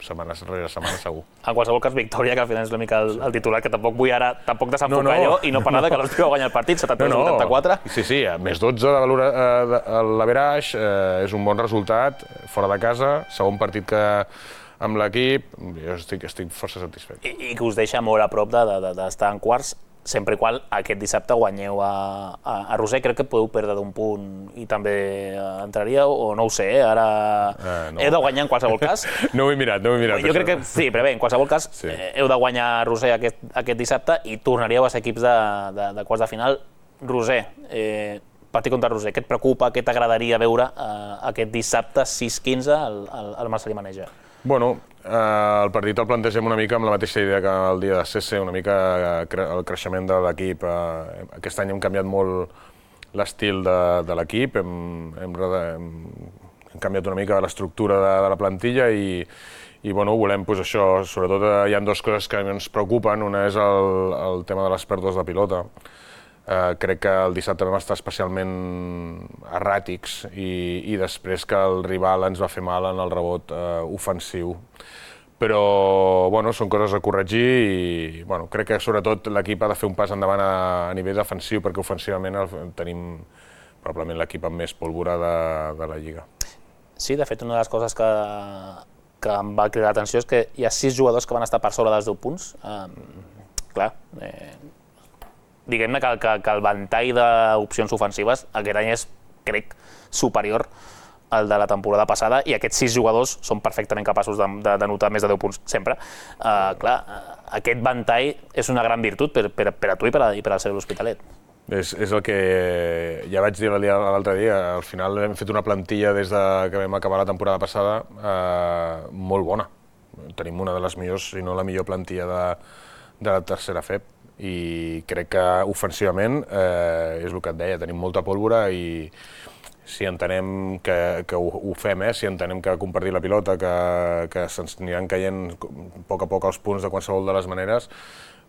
setmana rere setmana segur. En qualsevol cas, victòria, que al final és una mica el titular, que tampoc vull ara desenfocar allò i no parlar que l'Hospi va guanyar el partit, 73-84. Sí, més 12 de l'Averaix, és un bon resultat, fora de casa, segon partit que amb l'equip, jo estic força satisfet. I que us deixa molt a prop d'estar en quarts, sempre i qual aquest dissabte guanyeu a Roser. Crec que podeu perdre d'un punt i també entraríeu, o no ho sé, ara heu de guanyar en qualsevol cas. No ho he mirat. Jo crec que sí, però bé, en qualsevol cas heu de guanyar a Roser aquest dissabte i tornaríeu a ser equips de quarts de final. Roser, partit contra Roser, què et preocupa, què t'agradaria veure aquest dissabte 6-15 al Marcelí Maneja? Bueno, el partit el plantegem una mica amb la mateixa idea que el dia de CC, una mica el creixement de l'equip. Aquest any hem canviat molt l'estil de l'equip, hem canviat una mica l'estructura de la plantilla i volem això, sobretot hi ha dues coses que ens preocupen. Una és el tema de les pèrdues de pilota. Crec que el dissabte vam estar especialment erràtics i després que el rival ens va fer mal en el rebot ofensiu. Però són coses a corregir i crec que sobretot l'equip ha de fer un pas endavant a nivell defensiu perquè ofensivament tenim probablement l'equip amb més pólvora de la Lliga. Sí, de fet, una de les coses que em va cridar l'atenció és que hi ha 6 jugadors que van estar per sobre dels 10 punts. Clar, diguem-ne que el ventall d'opcions ofensives aquest any és, crec, superior al de la temporada passada i aquests 6 jugadors són perfectament capaços d'anotar més de 10 punts sempre. Clar, aquest ventall és una gran virtut per a tu i per al seu L'Hospitalet. És el que ja vaig dir l'altre dia, al final hem fet una plantilla des que vam acabar la temporada passada molt bona. Tenim una de les millors, si no la millor plantilla de la tercera FEP. I crec que ofensivament és el que et deia, tenim molta pólvora i si entenem que ho fem, si entenem que compartir la pilota, que se'ns aniran caient a poc els punts de qualsevol de les maneres,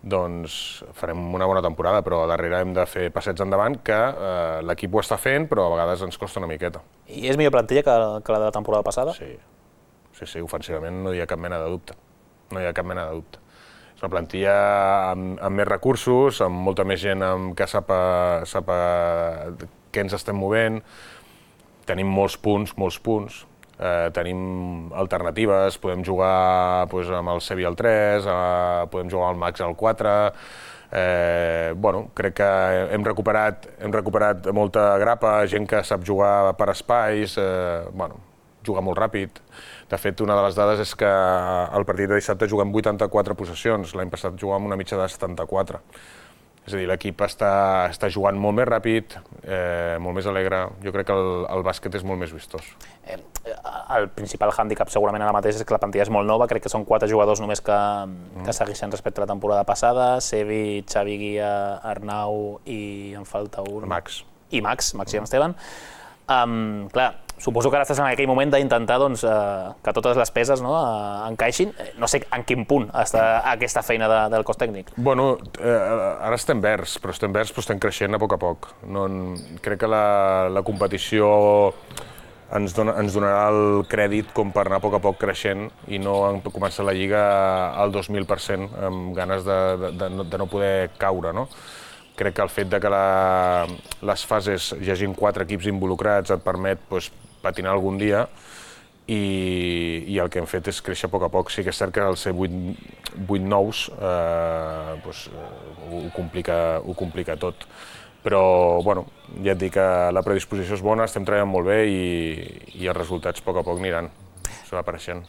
doncs farem una bona temporada, però a darrere hem de fer passets endavant que l'equip ho està fent, però a vegades ens costa una miqueta. I és millor plantilla que la de la temporada passada? Sí, ofensivament no hi ha cap mena de dubte. És una plantilla amb més recursos, amb molta més gent que sap què ens estem movent. Tenim molts punts, tenim alternatives, podem jugar amb el Sevi al 3, podem jugar al Max al 4. Crec que hem recuperat molta grapa, gent que sap jugar per espais, jugar molt ràpid. De fet, una de les dades és que al partit de dissabte juguem 84 possessions, l'any passat jugàvem una mitja de 74. És a dir, l'equip està jugant molt més ràpid, molt més alegre. Jo crec que el bàsquet és molt més vistós. El principal hàndicap segurament ara mateix és que la plantilla és molt nova, crec que són 4 jugadors només que segueixen respecte a la temporada passada, Sevi, Xavi Guia, Arnau i em falta un... Max. I Max i Esteban. Clar, suposo que ara estàs en aquell moment d'intentar que totes les peces encaixin. No sé en quin punt està aquesta feina del cos tècnic. Ara estem verds, però estem creixent a poc. Crec que la competició ens donarà el crèdit com per anar a poc creixent i no començar la Lliga al 2000% amb ganes de no poder caure, no? Crec que el fet que les fases hi hagin 4 equips involucrats et permet patinar algun dia i el que hem fet és créixer a poc. Sí que és cert que al ser 8 nous ho complica tot. Però ja et dic que la predisposició és bona, estem treballant molt bé i els resultats a poc aniran apareixent.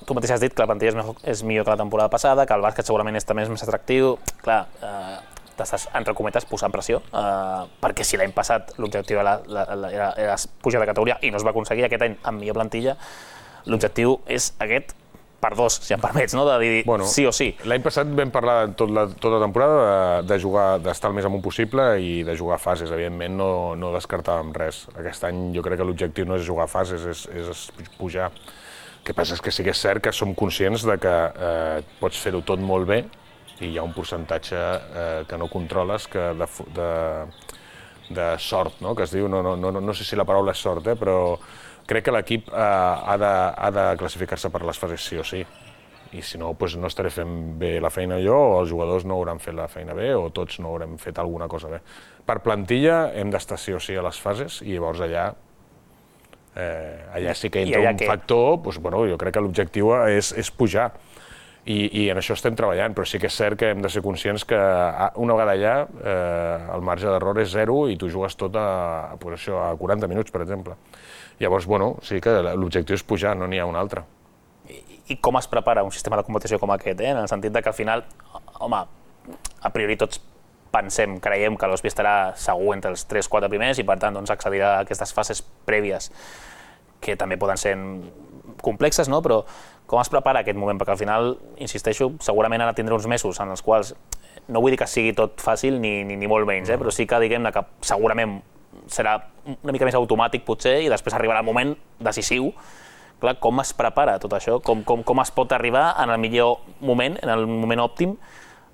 Tu mateix has dit que la plantilla és millor que la temporada passada, que el bàsquet segurament és també més atractiu. Clar, t'estàs, entre cometes, posant pressió, perquè si l'any passat l'objectiu era pujar de categoria i no es va aconseguir, aquest any amb millor plantilla, l'objectiu és aquest per 2, si em permets, de dir sí o sí. L'any passat vam parlar tota la temporada de jugar, d'estar el més amunt possible i de jugar fases, evidentment no descartàvem res. Aquest any jo crec que l'objectiu no és jugar fases, és pujar. El que passa és que sí que és cert que som conscients de que pots fer-ho tot molt bé i hi ha un percentatge que no controles, que sort, no? Que es diu, no sé si la paraula és sort, però crec que l'equip ha de classificar-se per les fases sí o sí. I si no, doncs no estaré fent bé la feina jo, o els jugadors no hauran fet la feina bé, o tots no haurem fet alguna cosa bé. Per plantilla hem d'estar sí o sí a les fases, i llavors allà sí que entra un factor, doncs, jo crec que l'objectiu és pujar. I en això estem treballant, però sí que és cert que hem de ser conscients que una vegada allà el marge d'error és zero i tu jugues tot a 40 minuts, per exemple. Llavors, sí que l'objectiu és pujar, no n'hi ha un altre. I com es prepara un sistema de competició com aquest, en el sentit que al final, home, a priori tots creiem que l'Ospi estarà segur entre els 3-4 primers i per tant accedirà a aquestes fases prèvies que també poden ser complexes, però com es prepara aquest moment? Perquè al final, insisteixo, segurament ha de tindre uns mesos en els quals, no vull dir que sigui tot fàcil ni molt menys, però sí que diguem que segurament serà una mica més automàtic potser i després arribarà el moment decisiu. Clar, com es prepara tot això? Com es pot arribar en el millor moment, en el moment òptim,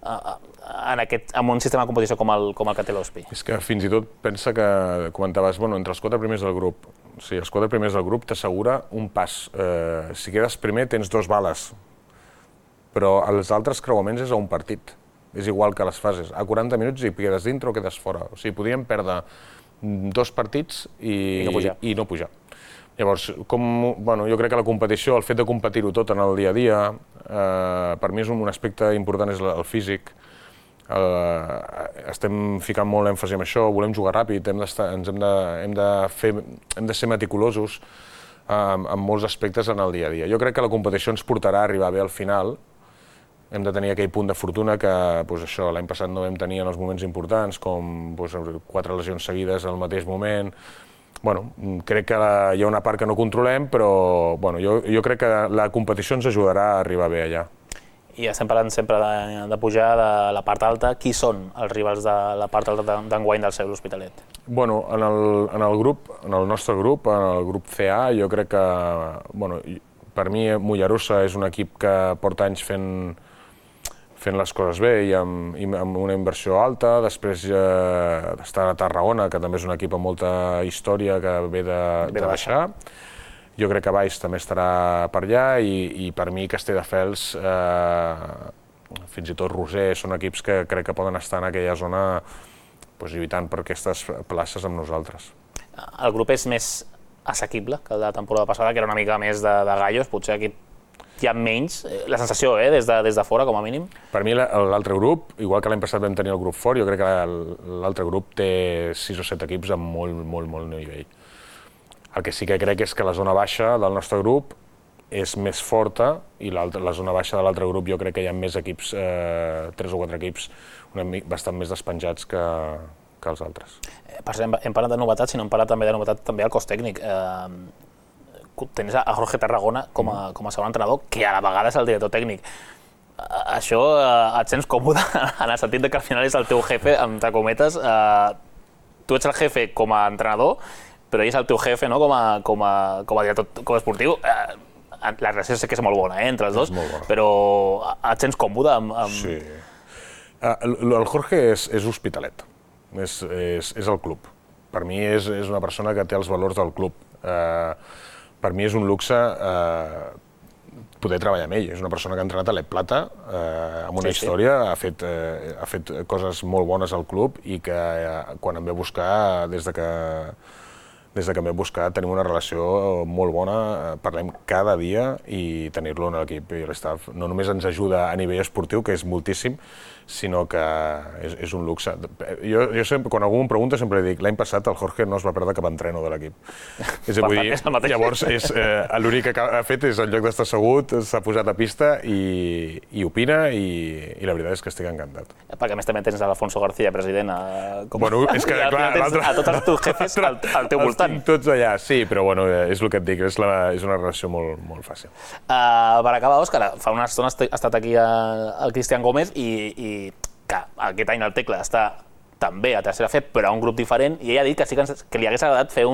en un sistema de competició com el que té l'Ospi? És que fins i tot pensa que comentaves, entre els 4 primers del grup, els 4 primers del grup t'assegura un pas. Si quedes primer tens 2 bales, però els altres creuaments és a un partit. És igual que les fases. A 40 minuts i quedes dintre o quedes fora. O sigui, podríem perdre 2 partits i no pujar. Llavors, jo crec que la competició, el fet de competir-ho tot en el dia a dia, per mi és un aspecte important, és el físic. Estem ficant molt èmfasi en això, volem jugar ràpid, hem de ser meticulosos en molts aspectes en el dia a dia. Jo crec que la competició ens portarà a arribar bé al final. Hem de tenir aquell punt de fortuna que l'any passat no vam tenir en els moments importants, com 4 lesions seguides al mateix moment. Crec que hi ha una part que no controlem, però jo crec que la competició ens ajudarà a arribar bé allà. I estem parlant sempre de pujar de la part alta. Qui són els rivals de la part alta d'enguany del Seu L'Hospitalet? En el nostre grup, en el grup CA, jo crec que, per mi, Mollerussa és un equip que porta anys fent les coses bé i amb una inversió alta. Després està a Tarragona, que també és un equip amb molta història que ve de baixar. Jo crec que Baix també estarà per allà i per mi Castelldefels, fins i tot Roser, són equips que crec que poden estar en aquella zona lluitant per aquestes places amb nosaltres. El grup és més assequible que el de la temporada passada, que era una mica més de gallos, potser aquí hi ha menys, la sensació, des de fora, com a mínim? Per mi l'altre grup, igual que l'any passat vam tenir el grup fort, jo crec que l'altre grup té 6 o 7 equips amb molt nivell. El que sí que crec és que la zona baixa del nostre grup és més forta i la zona baixa de l'altre grup jo crec que hi ha més equips, 3 o 4 equips bastant més despenjats que els altres. Hem parlat de novetats, sinó hem parlat també de novetats també al cos tècnic. Tens a Jorge Tarragona com a segon entrenador, que a la vegada és el director tècnic. Això et sents còmode en el sentit que al final és el teu jefe, entre cometes. Tu ets el jefe com a entrenador, però ell és el teu jefe com a director esportiu. La relació sé que és molt bona entre els dos, però et sents còmode amb... Sí. El Jorge és Hospitalet, és el club. Per mi és una persona que té els valors del club. Per mi és un luxe poder treballar amb ell. És una persona que ha entrenat a l'Ep Plata, amb una història, ha fet coses molt bones al club i que quan em ve a buscar, des de que em ve a buscar, tenim una relació molt bona, parlem cada dia i tenir-lo en l'equip i l'estaf no només ens ajuda a nivell esportiu, que és moltíssim, sinó que és un luxe. Jo sempre, quan algú em pregunta, sempre dic, l'any passat el Jorge no es va perdre cap entreno de l'equip. Llavors, l'únic que ha fet és, en lloc d'estar assegut, s'ha posat a pista i opina i la veritat és que estic encantat. Perquè a més també tens l'Alfonso García, president, és que clar, a tots els teus jefes al teu voltant. Els tinc tots allà, sí, però és el que et dic, és una relació molt fàcil. Per acabar, Òscar, fa una estona ha estat aquí el Cristian Gómez i que aquest any el Tecla està també a tercera fe, però a un grup diferent, i ell ha dit que sí que li hagués agradat fer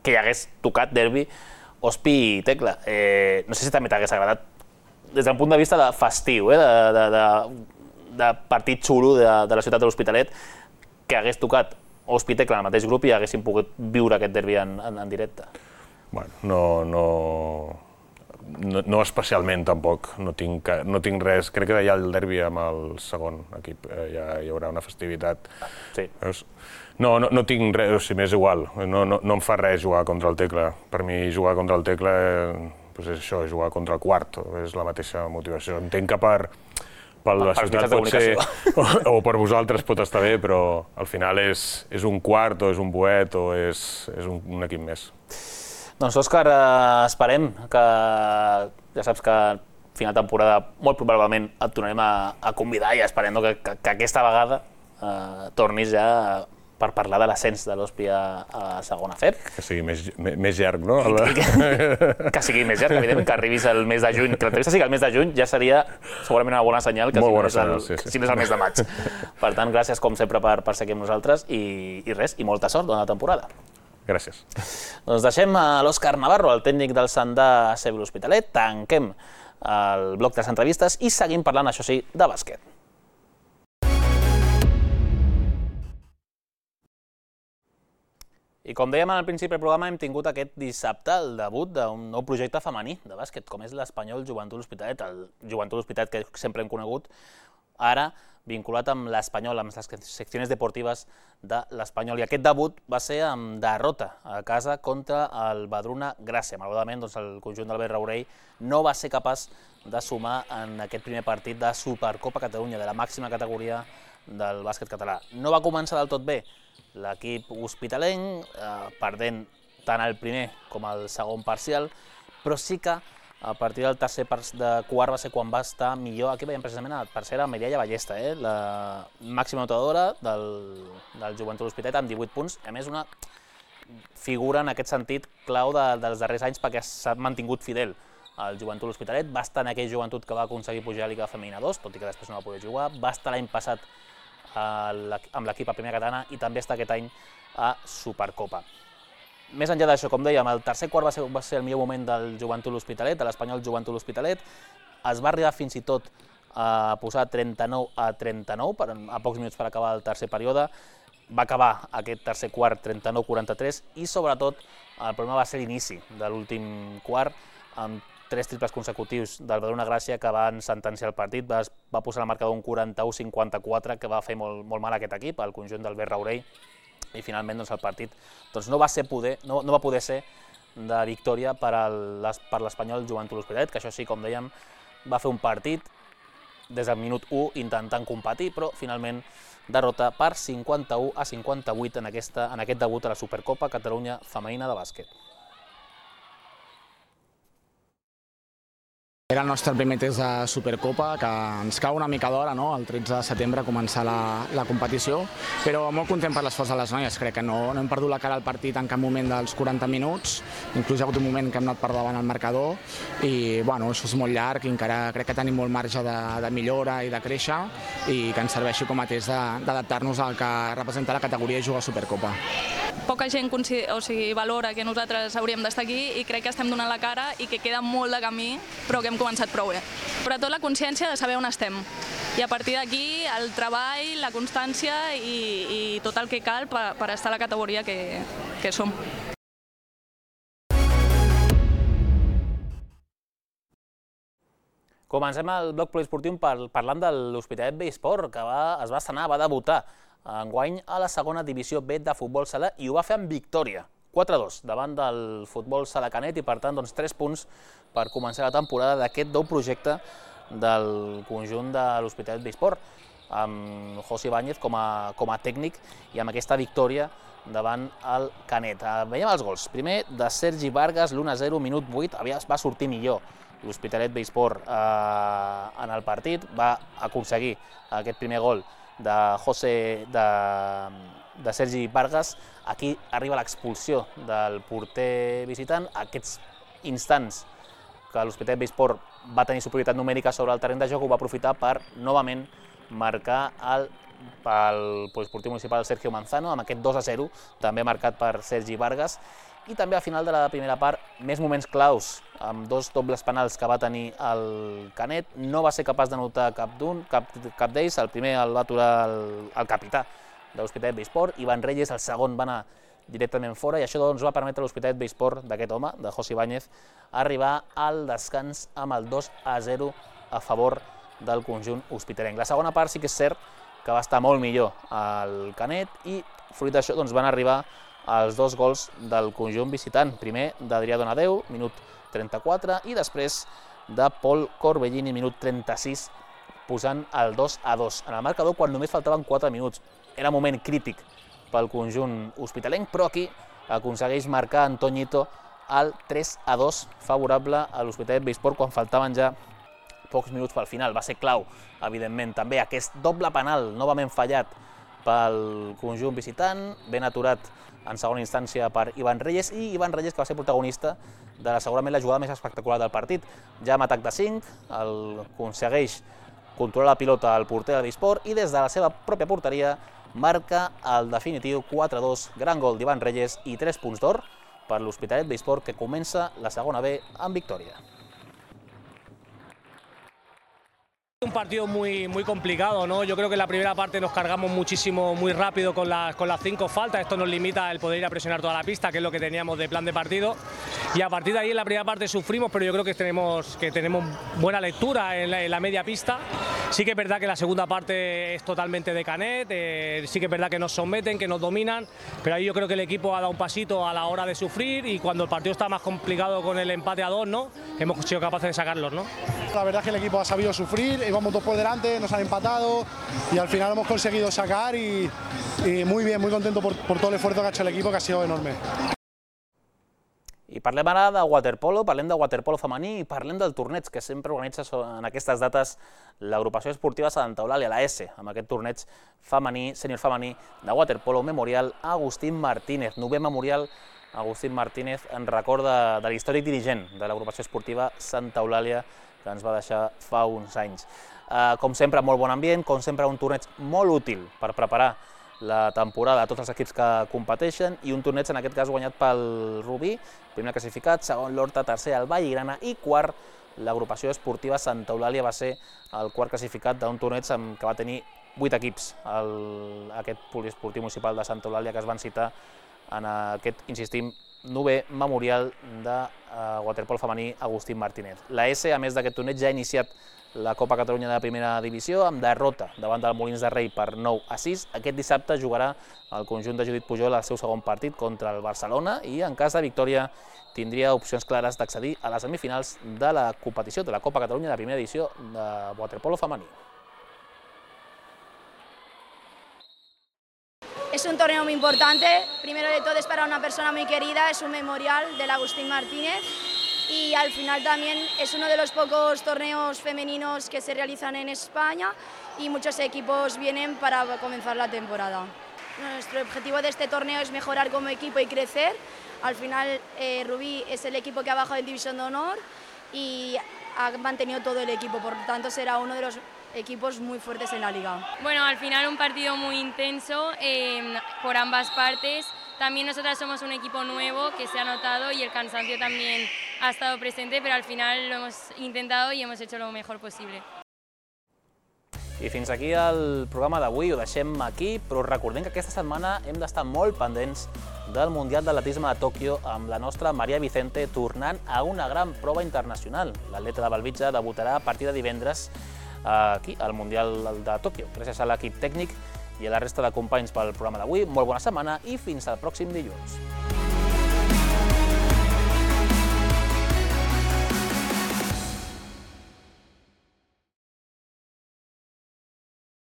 que hi hagués tocat derbi Ospi i Tecla. No sé si també t'hagués agradat des d'un punt de vista de festiu, de partit xulo de la ciutat de l'Hospitalet, que hagués tocat Hospitalet en el mateix grup i haguessin pogut viure aquest derbi en directe. Bueno, no especialment tampoc, no tinc res. Crec que ja el derbi amb el segon equip ja hi haurà una festivitat. Sí. No tinc res, o sigui, m'és igual, no em fa res jugar contra el Tecla. Per mi jugar contra el Tecla és això, jugar contra el quart, és la mateixa motivació. Entenc que per la ciutat pot ser, o per vosaltres pot estar bé, però al final és un quart o és un boet o és un equip més. Doncs Òscar, esperem que, ja saps que a final de temporada molt probablement et tornarem a convidar i esperem que aquesta vegada tornis ja per parlar de l'ascens de l'Hospi a segona FEP. Que sigui més llarg, no? Que sigui més llarg, evidentment, que arribis al mes de juny. Que l'entrevista sigui al mes de juny ja seria segurament una bona senyal que si no és el mes de maig. Per tant, gràcies com sempre per ser aquí amb nosaltres i res, i molta sort durant la temporada. Gràcies. Doncs deixem l'Òscar Navarro, el tècnic del Sandà CB l'Hospitalet, tanquem el bloc de les entrevistes i seguim parlant, això sí, de bàsquet. I com dèiem al principi del programa, hem tingut aquest dissabte el debut d'un nou projecte femení de bàsquet, com és l'Espanyol Joventut L'Hospitalet, el Joventut L'Hospitalet que sempre hem conegut, ara vinculat amb l'Espanyol, amb les seccions deportives de l'Espanyol. I aquest debut va ser amb derrota a casa contra el Badruna Gràcia. Malauradament, el conjunt d'Albert Raurell no va ser capaç de sumar en aquest primer partit de Supercopa Catalunya, de la màxima categoria del bàsquet català. No va començar del tot bé l'equip hospitalenc, perdent tant el primer com el segon parcial, però sí que a partir del tercer quart va ser quan va estar millor. Aquí veiem precisament la tercera Mireia Ballesta, la màxima notadora del Joventut L'Hospitalet amb 18 punts. A més, una figura en aquest sentit clau dels darrers anys perquè s'ha mantingut fidel al Joventut L'Hospitalet. Va estar en aquell Joventut que va aconseguir pujar a Lliga Femenina 2, tot i que després no va poder jugar. Va estar l'any passat amb l'equip a primera catalana i també està aquest any a Supercopa. Més enllà d'això, com dèiem, el tercer quart va ser el millor moment del Joventut L'Hospitalet, de l'Espanyol Joventut L'Hospitalet. Es va arribar fins i tot a posar 39-39 a pocs minuts per acabar el tercer període. Va acabar aquest tercer quart 39-43 i sobretot el problema va ser l'inici de l'últim quart amb 3 triples consecutius del Badruna Gràcia que van sentenciar el partit. Va posar el marcador un 41-54 que va fer molt mal aquest equip, el conjunt d'Albert Raurell. I finalment el partit no va poder ser de victòria per l'Espanyol Joventut L'Hospitalet, que això sí, com dèiem, va fer un partit des del minut 1 intentant competir, però finalment derrota per 51-58 en aquest debut a la Supercopa Catalunya Femenina de bàsquet. Era el nostre primer test de Supercopa, que ens cau una mica d'hora, el 13 de setembre, començar la competició, però molt content per l'esforç de les noies. Crec que no hem perdut la cara al partit en cap moment dels 40 minuts, inclús hi ha hagut un moment que hem anat per davant al marcador, i això és molt llarg i encara crec que tenim molt marge de millora i de créixer, i que ens serveixi com a test d'adaptar-nos al que representa la categoria i jugar a Supercopa. Poca gent valora que nosaltres hauríem d'estar aquí i crec que estem donant la cara i que queda molt de camí, però que hem començat prou bé. Sobretot la consciència de saber on estem. I a partir d'aquí el treball, la constància i tot el que cal per estar a la categoria que som. Comencem el bloc poliesportiu parlant de l'Hospitalet B-Sport, que es va estrenar, va debutar enguany a la segona divisió B de futbol sala i ho va fer amb victòria, 4-2, davant del futbol sala Canet i per tant 3 punts per començar la temporada d'aquest nou projecte del conjunt de l'Hospitalet B-Sport, amb José Ibáñez com a tècnic i amb aquesta victòria davant el Canet. Veiem els gols. Primer de Sergi Vargas, l'1-0, minut 8, va sortir millor l'Hospitalet B-Sport en el partit, va aconseguir aquest primer gol de Sergi Vargas. Aquí arriba l'expulsió del porter visitant. Aquests instants que l'Hospitalet B-Sport va tenir superioritat numèrica sobre el terreny de joc ho va aprofitar per novament marcar pel poliesportiu municipal Sergio Manzano amb aquest 2-0, també marcat per Sergi Vargas. I també al final de la primera part, més moments claus, amb 2 dobles penals que va tenir el Canet. No va ser capaç d'anotar cap d'ells, el primer el va aturar el capità de l'Hospitalet Beisport. Ivan Reyes, el segon, va anar directament fora i això doncs va permetre a l'Hospitalet Beisport d'aquest home, de José Ibáñez, arribar al descans amb el 2-0 a favor del conjunt hospitalenc. La segona part sí que és cert que va estar molt millor el Canet i fruit d'això doncs, van arribar els 2 gols del conjunt visitant. Primer d'Adrià Donadeu, minut 34, i després de Pol Corbellini, minut 36, posant el 2-2 en el marcador quan només faltaven 4 minuts. Era moment crític pel conjunt hospitalenc, però aquí aconsegueix marcar Antoñito el 3-2 favorable a l'Hospitalet Beisport quan faltaven ja pocs minuts pel final. Va ser clau, evidentment, també aquest doble penal novament fallat pel conjunt visitant, ben aturat en segona instància per Ivan Reyes, i Ivan Reyes que va ser protagonista de segurament la jugada més espectacular del partit. Ja amb atac de 5, aconsegueix controlar la pilota al porter de Beisport i des de la seva pròpia porteria marca el definitiu 4-2, gran gol d'Ivan Reyes i 3 punts d'or per l'Hospitalet Beisport, que comença la segona B amb victòria. Un partido muy complicado, ¿no? Yo creo que en la primera parte nos cargamos muchísimo, muy rápido con las 5 faltas. Esto nos limita el poder ir a presionar toda la pista, que es lo que teníamos de plan de partido. Y a partir de ahí en la primera parte sufrimos, pero yo creo que tenemos buena lectura en la media pista. Sí que es verdad que la segunda parte es totalmente de Canet, sí que es verdad que nos someten, que nos dominan, pero ahí yo creo que el equipo ha dado un pasito a la hora de sufrir y cuando el partido está más complicado con el empate a 2, ¿no? Hemos sido capaces de sacarlos, ¿no? La verdad es que el equipo ha sabido sufrir, íbamos 2 por delante, nos han empatado y al final hemos conseguido sacar y muy bien, muy contento por todo el esfuerzo que ha hecho el equipo, que ha sido enorme. I parlem ara de waterpolo, parlem de waterpolo femení i parlem del torneig que sempre organitza en aquestes dates l'agrupació esportiva Santa Eulàlia, la S, amb aquest torneig femení, sènior femení de waterpolo memorial Agustín Martínez. 9è memorial Agustín Martínez en record de l'històric dirigent de l'agrupació esportiva Santa Eulàlia que ens va deixar fa uns anys. Com sempre, molt bon ambient, com sempre un torneig molt útil per preparar la temporada a tots els equips que competeixen i un torneig en aquest cas guanyat pel Rubí, primer classificat, segon l'Horta, tercer el Vallgrana i quart l'agrupació esportiva Santa Eulàlia va ser el quart classificat d'un torneig que va tenir 8 equips, aquest poliesportiu municipal de Santa Eulàlia que es van citar en aquest, insistim, 9è memorial de waterpolo femení Agustín Martínez. La S, a més d'aquest torneig, ja ha iniciat la Copa Catalunya de primera divisió amb derrota davant del Molins de Rei per 9-6. Aquest dissabte jugarà el conjunt de Judit Pujol el seu segon partit contra el Barcelona i en cas de victòria tindria opcions clares d'accedir a les semifinals de la competició de la Copa Catalunya de primera edició de waterpolo femení. Es un torneo muy importante, primero de todo es para una persona muy querida, es un memorial del Agustín Martínez y al final también es uno de los pocos torneos femeninos que se realizan en España y muchos equipos vienen para comenzar la temporada. Nuestro objetivo de este torneo es mejorar como equipo y crecer. Al final Rubí es el equipo que ha bajado en División de Honor y ha mantenido todo el equipo, por lo tanto será uno de los equipos muy fuertes en la liga. Bueno, al final un partido muy intenso por ambas partes. También nosotras somos un equipo nuevo que se ha notado y el cansancio también ha estado presente, pero al final lo hemos intentado y hemos hecho lo mejor posible. I fins aquí el programa d'avui, ho deixem aquí, però recordem que aquesta setmana hem d'estar molt pendents del Mundial d'Atletisme de Tòquio amb la nostra Maria Vicente tornant a una gran prova internacional. L'atleta de Bellvitge debutarà a partir de divendres aquí, al Mundial de Tòquio. Gràcies a l'equip tècnic i a la resta de companys pel programa d'avui. Molt bona setmana i fins al pròxim dilluns.